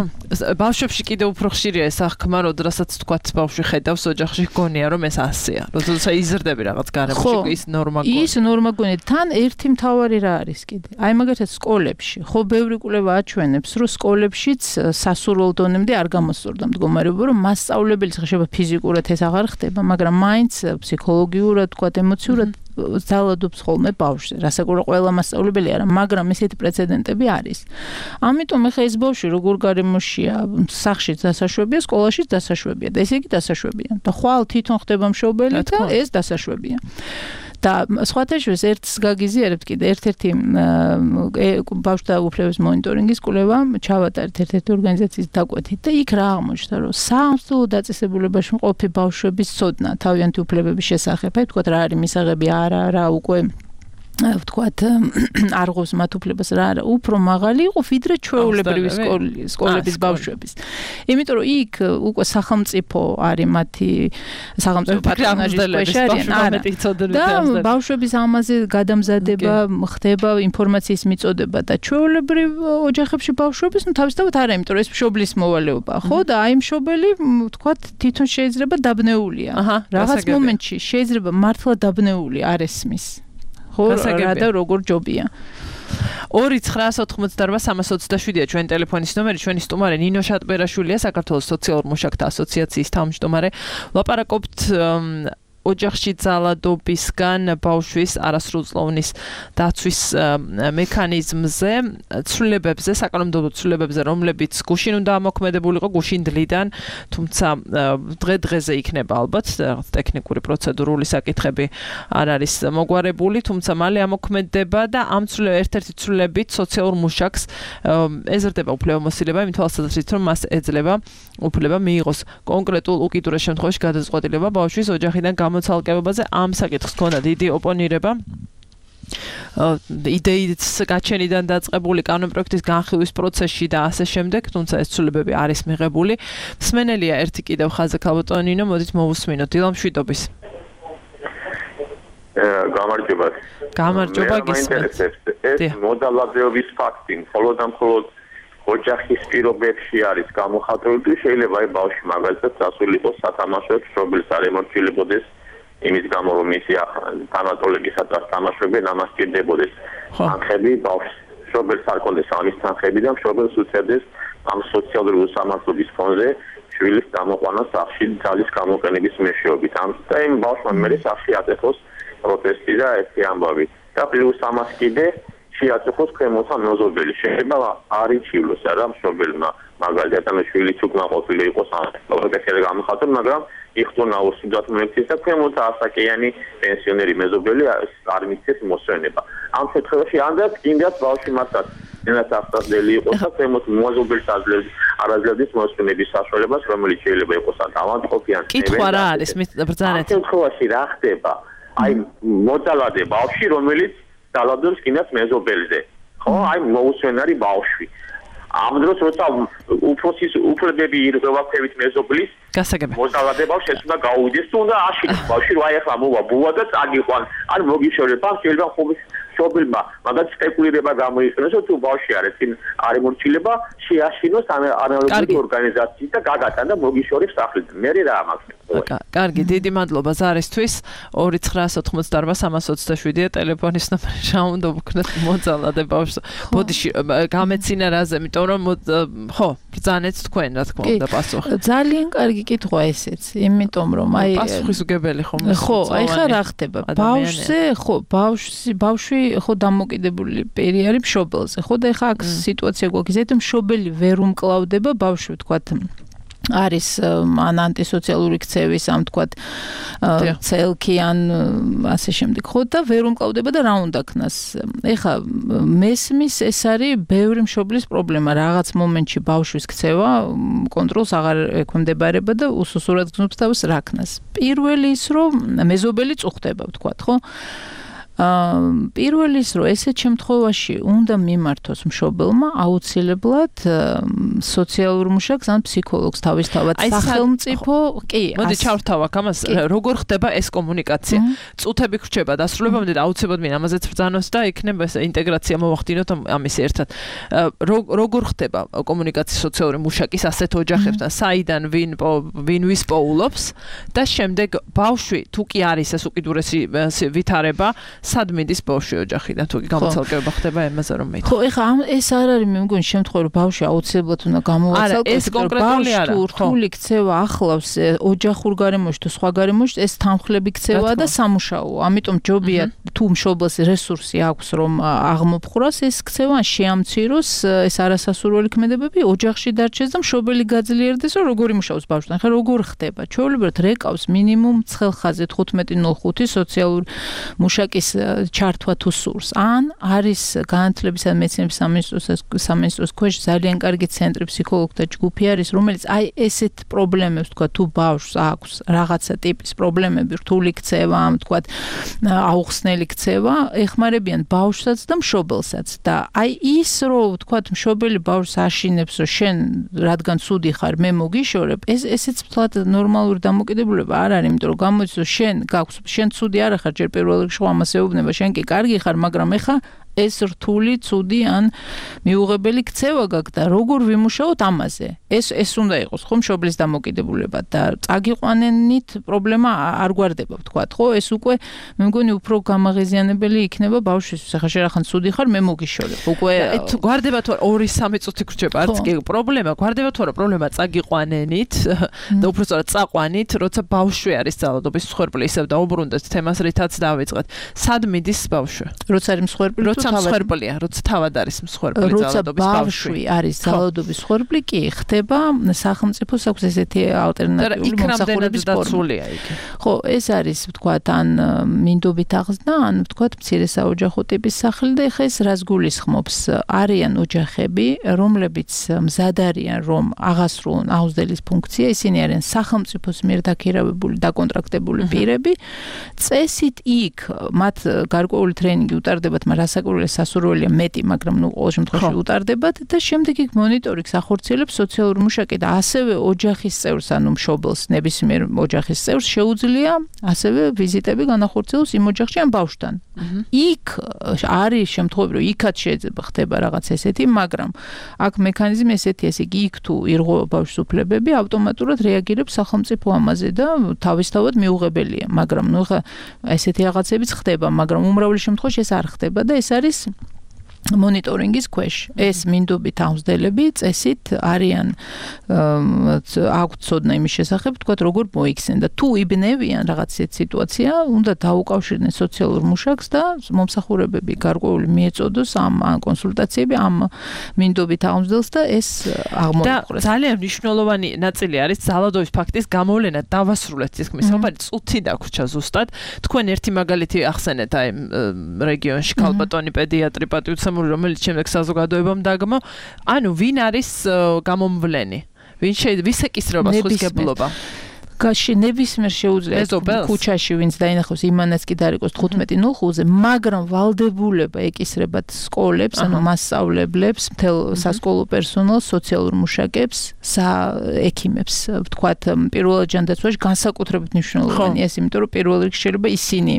ბავშვებში კიდევ უფრო ხშირია ეს აღქმა როდესაც თქვათ ბავშვი ხედავს ოჯახში გონია რომ ეს ასეა როდესაც იზრდები რაღაც გარემოში ის ნორმა გონია ის ნორმა გონია თან ერთი მთავარი რა არის კიდე აი მაგალითად სკოლებში ხო ბევრი კვლევა აჩვენებს რომ სკოლებშიც სასურველ დონემდე არ გამოსწორდა მდგომარეობა რომ მასწავლებლის ხდება ფიზიკურად ეს აღარ ხდება მაგრამ მაინც ფსიქოლოგიურად თქვათ ემოციურად ძალადობს ხოლმე ბავშვზე რასაკვირველია ყველა მასწავლებელი არა მაგრამ ესეთი პრეცედენტები არის ამიტომ ეხა ეს ბავშვი როგორ გარემოშია სახლშიც დასაშვებია სკოლაშიც დასაშვებია და ესე იგი დასაშვებია და ხვალ თვითონ ხდება მშობელი და ეს დასაშვებია და სხვათა შორის ერთს გაგიზიარებთ კიდე ერთ-ერთი ბავშვთა უფლებების მონიტორინგის კვლევა ჩავატარეთ ერთ-ერთი ორგანიზაციის დაკვეთით და იქ რა აღმოჩნდა რომ სამსხვილო დაწესებულებაში მყოფი ბავშვების ცოდნა თავიანთი უფლებების შესახებ აი თქვათ რა არის მისაღები არა უკვე ვთქვათ არღოს მათ უფლებას რა არა უფრო მაღალი იყო ვიდრე ჩვეულებრივი სკოლების ბავშვების. იმიტომ რომ იქ უკვე სახელმწიფო არის მათი სახელმწიფო პატრონაჟის ქვეშ არიან. და ბავშვების ამაზე გადამზადება ხდება ინფორმაციის მიწოდება და ჩვეულებრივ ოჯახებში ბავშვების თავისთავად არა, იმიტომ რომ ეს მშობლის მოვალეობაა, ხო? და აი მშობელი ვთქვათ თვითონ შეიძლება დაბნეულია. რაღაც მომენტში შეიძლება მართლა დაბნეული არ ესმის. ხო, რა და როგორ ჯობია. 2-988-327-ია ჩვენი ტელეფონის ნომერი, ჩვენი სტუმარი ნინო შატბერაშვილია, საქართველოს სოციალურ მუშაკთა ასოციაციის თავმჯდომარე. ვლაპარაკობთ ოჯახში ძალადობისგან ბავშვის არასრულწლოვნის დაცვის მექანიზმზე, ცვლილებებზე, საკანონმდებლო ცვლილებებზე, რომლებიც გუშინ უნდა ამოქმედებულიყო, გუშინ დლიდან, თუმცა დღე-დღეზე იქნება ალბათ რაღაც ტექნიკური პროცედურული საკითხები არ არის მოგვარებული, თუმცა მალე ამოქმედება და ამ ერთ-ერთი ცვლილებით სოციალურ მუშაკს ეზრდება უფლებამოსილება იმ თვალსაზრისით, რომ მას ეძლევა უფლება მიიღოს კონკრეტულ უკიდურეს შემთხვევაში გადაწყვეტილება ბავშვის ოჯახიდან მოცალკებობაზე. ამ საკითხს ჰქონდა დიდი ოპონირება. იდეის გაჩენიდან დაწყებული კანონპროექტის განხილვის პროცესში და ასე შემდეგ, თუმცა ეს ცვლილებები არის მიღებული. მსმენელია ერთი კიდევ ხაზზე ქალბატონო ნინო, მოდით მოვუსმინოთ. დილამშვიდობის. გამარჯობა. გამარჯობა გისმენთ. ეს მოდალადეობის ფაქტი, მხოლოდ და მხოლოდ ოჯახის პირობებში არის გამოხატული, შეიძლება აი ბავშვი მაგალითად დასულიყო სათამაშოებს, შობილს არ ემორჩილებოდეს იმის გამო რომ ისი თანატოლებისათვის თამაშობენ, ამას სჭირდებოდეს თანხები, ბავშვს შობილს არ კონდეს ამის თანხები და შობილს უწევდეს ამ სოციალური უსამართლობის ფონზე შვილის გამოყვანა სახლში ძალის გამოყენების მეშვეობით. და იმ ბავშვმა მე სახლში აწეხოს პროტესტი და ერთი ამბავი. და პლუს ამას კიდე შეაწეხოს ქვემოთა მეზობელი. შეიძლება არ იჩივლოს რა მშობელმა მაგალითად ამ შვილიც უკმაყოფილი იყოს ამ პროტესტზე გამოხატულ, მაგრამ იხდონა უსუდათ მომექცეს და ქვემოთა ასაკიანი პენსიონერი მეზობელი არ მისცეს მოსვენება. ამ შემთხვევაში ანდაც კიდაც ბავშვი მართლაც ენათახსდელი იყოს და ქვემოთ მეზობელს არაძლევს მოსვენების საშუალებას, რომელიც შეიძლება იყოს ავადმყოფიან. კითხვა რა არის ბრძანეთ? ამ შემთხვევაში რა ხდება? აი მოდალადე ბავშვი, რომელიც დალადობს კიდაც მეზობელზე. ხო, აი მოუსვენარი ბავშვი. ამ დროს როცა უფროსის უფლებები ირღვევა ქვევით მეზობლის გასაგები. მოდალადე ბავშვი უნდა გაუვიდეს თუ უნდა აშინოს ბავშვი, რა ეხლა მოვა ბუა და წაგიყვან. არ მოგიშორება, შეიძლება ხომ შობილმა მაგათ სპეკულირება გამოიყენოს, თუ ბავშვი არის წინ არ ემორჩილება, შეაშინოს ანალოგიური ორგანიზაციის და გაგატან და მოგიშორებს სახლიდან. მე რა ამაქვს. კარგი, დიდი მადლობა ზარისთვის. 2-988-327-ია ტელეფონის ნომერი. რა უნდა ვქნათ მოძალადე ბავშვს. ბოდიში გამეცინა რაზე, იმიტომ რომ ხო, ბრძანეთ თქვენ რა თქმა უნდა პასუხი. ძალიან კარგი კითხვა ესეც, იმიტომ რომ აი პასუხისმგებელი ხომ ხო, აი ხა რა ხდება? ბავშვზე, ხო, ბავშვი ხო დამოკიდებული პერი არის მშობელზე. ხო და ხა აქ სიტუაცია გვაქვს, ზედ მშობელი ვერ უმკლავდება ბავშვი, ვთქვათ არის ან ანტისოციალური ქცევის ამ თქვათ ცელკი ან ასე შემდეგ ხო და ვერ უმკლავდება და რა უნდა ქნას ეხა მესმის ეს არის ბევრი მშობლის პრობლემა რაღაც მომენტში ბავშვის ქცევა კონტროლს აღარ ექვემდებარება და უსუსურად გზნობს თავს რა ქნას პირველი ის რომ მეზობელი წუხდება ვთქვათ ხო პირველი ის რომ ესეთ შემთხვევაში უნდა მიმართოს მშობელმა აუცილებლად სოციალურ მუშაკს ან ფსიქოლოგს თავისთავად სახელმწიფო კი მოდი ჩავრთავ ამას როგორ ხდება ეს კომუნიკაცია წუთები ხრჩება დასრულებამდე და აუცილებლად მინ ამაზეც ბრძანოს და იქნება ეს ინტეგრაცია მოვახდინოთ ამის ერთად როგორ ხდება კომუნიკაცია სოციალური მუშაკის ასეთ ოჯახებთან საიდან ვინ ვის პოულობს და შემდეგ ბავშვი თუ კი არის ეს უკიდურესი ვითარება სად მიდის ბავშვი ოჯახიდან თუ გამოცალკება ხდება ემაზე რომ მეც ხო ეხა ეს არ არის მე მგონი შემთხვევა რომ ბავშვი აუცილებლად უნდა გამოვაცალკოს ეს კონკრეტული არა რთული ქცევა ახლავს ოჯახურ გარემოში თუ სხვა გარემოში ეს თანხლები ქცევაა და სამუშაოა ამიტომ ჯობია თუ მშობელს რესურსი აქვს რომ აღმოფხვრას ეს ქცევა შეამციროს ეს არასასურველი ქმედებები ოჯახში დარჩეს და მშობელი გაძლიერდეს რომ როგორი მუშაობს ბავშვთან ხა როგორ ხდება ჩვეულებრივად რეკავს მინიმუმ ცხელ ხაზზე 15:05 სოციალურ მუშაკის ჩართვა თუ სურს. ან არის განათლებისა და მეცნიერების სამინისტროს ქვეშ ძალიან კარგი ცენტრი ფსიქოლოგთა ჯგუფი არის, რომელიც აი ესეთ პრობლემებს თქვა თუ ბავშვს აქვს რაღაცა ტიპის პრობლემები, რთული ქცევა, თქვა აუხსნელი ქცევა, ეხმარებიან ბავშვსაც და მშობელსაც და აი ის რომ თქვა მშობელი ბავშვს აშინებს რომ შენ რადგან ცუდი ხარ მე მოგიშორებ, ესეც ვთქვათ ნორმალური დამოკიდებულება არ არის, იმიტომ რომ გამოდის რომ შენ ცუდი არ ხარ, ჯერ პირველ რიგში ამას ეუბნება, შენ კი კარგი ხარ, მაგრამ ეხა ეს რთული, ცუდი ან მიუღებელი ქცევა გაქვს და როგორ ვიმუშაოთ ამაზე. ეს უნდა იყოს ხო მშობლის დამოკიდებულება და წაგიყვანენით პრობლემა არ გვარდება ვთქვათ, ხო? ეს უკვე მე მგონი უფრო გამაღიზიანებელი იქნება ბავშვისთვის. ახლა შენ ახან ცუდი ხარ, მე მოგიშორებ. უკვე გვარდება თუ 2-3 წუთი გრჩება, არც კი პრობლემა, გვარდება თუ არა პრობლემა წაგიყვანენით და უბრალოდ წაყვანით, როცა ბავშვი არის ძალადობის მსხვერპლი, ისევ დაუბრუნდეთ თემას, რითაც დავიწყეთ. სად მიდის ბავშვი? როცა არის მსხვერპლი, როცა მსხვერპლია, როცა თავად არის მსხვერპლი ძალადობის ბავშვი არის ძალადობის მსხვერპლი, კი ხდება სახელმწიფოს აქვს ესეთი ალტერნატიული მომსახურების ფორმა. ხო, ეს არის ვთქვათ ან მინდობით აღზრდა, ან ვთქვათ მცირე საოჯახო ტიპის სახლი და ეხა ეს რას გულისხმობს? არიან ოჯახები, რომლებიც მზად არიან რომ აღასრულონ აუზდელის ფუნქცია, ისინი არიან სახელმწიფოს მიერ დაქირავებული, დაკონტრაქტებული პირები, წესით იქ მათ გარკვეული ტრენინგი უტარდებათ, მაგრამ რასაკვირველია სასურველია მეტი, მაგრამ ყოველ შემთხვევაში უტარდებათ და შემდეგ იქ მონიტორინგს ახორციელებს სოციალური მუშაკი და ასევე ოჯახის წევრს, ანუ მშობელს, ნებისმიერ ოჯახის წევრს შეუძლია ასევე ვიზიტები განახორციელოს იმ ოჯახში ან ბავშვთან. იქ არის შემთხვევები, რომ იქაც შეიძლება ხდება რაღაც ესეთი, მაგრამ აქ მექანიზმი ესეთი, ესე იგი იქ თუ ირღვევა ბავშვის უფლებები, ავტომატურად რეაგირებს სახელმწიფო ამაზე და თავისთავად მიუღებელია, მაგრამ ნუ ხა ესეთი რაღაცებიც ხდება, მაგრამ უმრავლეს შემთხვევაში ეს არ ხდება და ეს არის მონიტორინგის ქვეშ. ეს მინდობით აუზდელები წესით არიან აქვთ ცოდნა იმის შესახებ, თქვათ როგორ მოიქცნენ და თუ იბნევიან რაღაც სიტუაცია, უნდა დაუკავშირდნენ სოციალურ მუშაკს და მომსახურებები გარკვეული მიეწოდოს ამ კონსულტაციები ამ მინდობით აუზდელს და ეს აღმოიყურეს. და ძალიან მნიშვნელოვანი ნაწილი არის ძალადობის ფაქტის გამოვლენა, დავასრულეთ თითქმის საუბარი წუთი დაგვრჩა ზუსტად. თქვენ ერთი მაგალითი ახსენეთ აი რეგიონში ქალბატონი პედიატრი პატივცემული, რომელიც შემდეგ საზოგადოებამ დაგმო. ანუ ვინ არის გამომვლენი? ვინ შეიძლება ვისეკისრება სხვისგებლობა? გაში ნებისმიერ შეუძლია ქუჩაში ვინც დაინახავს იმანაც კი დაარეკოს 15:05-ზე, მაგრამ ვალდებულება ეკისრებათ სკოლებს, ანუ მასწავლებლებს, მთელ სასკოლო პერსონალს, სოციალურ მუშაკებს, ექიმებს, ვთქვათ, პირველად ჯანდაცვაში განსაკუთრებით მნიშვნელოვანია ეს, იმიტომ რომ პირველ რიგში შეიძლება ისინი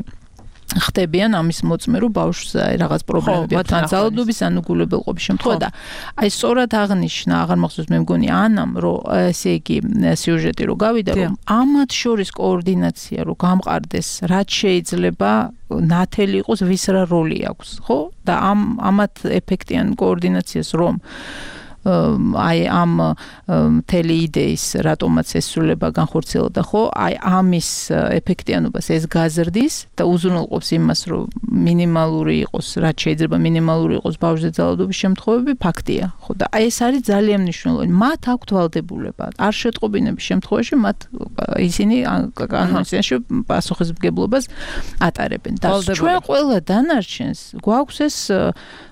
ხდებიან ამის მოწმერო ბავშვს რაღაც პრობლემები აქვს, ან ძალადობის, ან უგულებელყოფის შემთხვევა და აი სწორად აღნიშნა, აღარ მახსოვს მე მგონი ანამ, რომ ესე იგი სიუჟეტი რო გავიდა, რომ ამათ შორის კოორდინაცია რო გამყარდეს, რაც შეიძლება ნათელი იყოს, ვის რა როლი აქვს, ხო? და ამათ ეფექტიან კოორდინაციას რომ აი ამ მთელი იდეის რატომაც ესრულება განხორციელდა, ხო? აი ამის ეფექტიანობას ეს გაზრდის და უზრუნველყოფს იმას, რომ მინიმალური იყოს, რაც შეიძლება მინიმალური იყოს ბავშვზე ძალადობის შემთხვევები, ფაქტია, ხო? და აი ეს არის ძალიან მნიშვნელოვანი. მათ აქვთ ვალდებულება. არ შეტყობინების შემთხვევაში მათ ისინი კანონიზაციაში პასუხისმგებლობას ატარებენ. და ჩვენ ყველა დანარჩენს გვაქვს ეს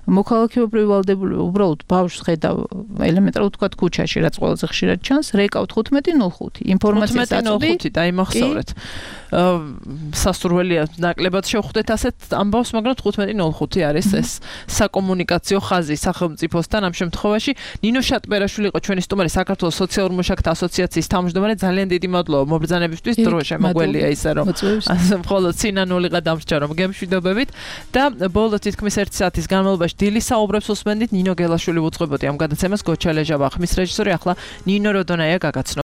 მოქალაქეობრივი ვალდებულება, უბრალოდ ბავშვს ხედავ ელემენტარულად თქვა ქუჩაში, რაც ყველაზე ხშირად ჩანს, რეკავთ 15:05. ინფორმაციას აწვდი 15:05 დაიმახსოვრეთ. სასურველია ნაკლებად შევხვდეთ ასეთ ამბავს, მაგრამ 15:05 არის ეს საკომუნიკაციო ხაზი სახელმწიფოსთან ამ შემთხვევაში. ნინო შატბერაშვილი იყო ჩვენი სტუმარი, საქართველოს სოციალურ მუშაკთა ასოციაციის თავმჯდომარე. ძალიან დიდი მადლობა მობრძანებისთვის, დრო შემოგველია ისე რომ მხოლოდ სინანულიღა დამრჩა რომ გემშვიდობებით და ბოლო თითქმის 1 საათის განმავლობაში დილის საუბრებს უსმენდით. ნინო გელაშვილი უძღვებოდი ამ გადაცემას, გოჩა ლეჟავა ხმის რეჟისორი, ახლა ნინო როდონაია გაგაცნო.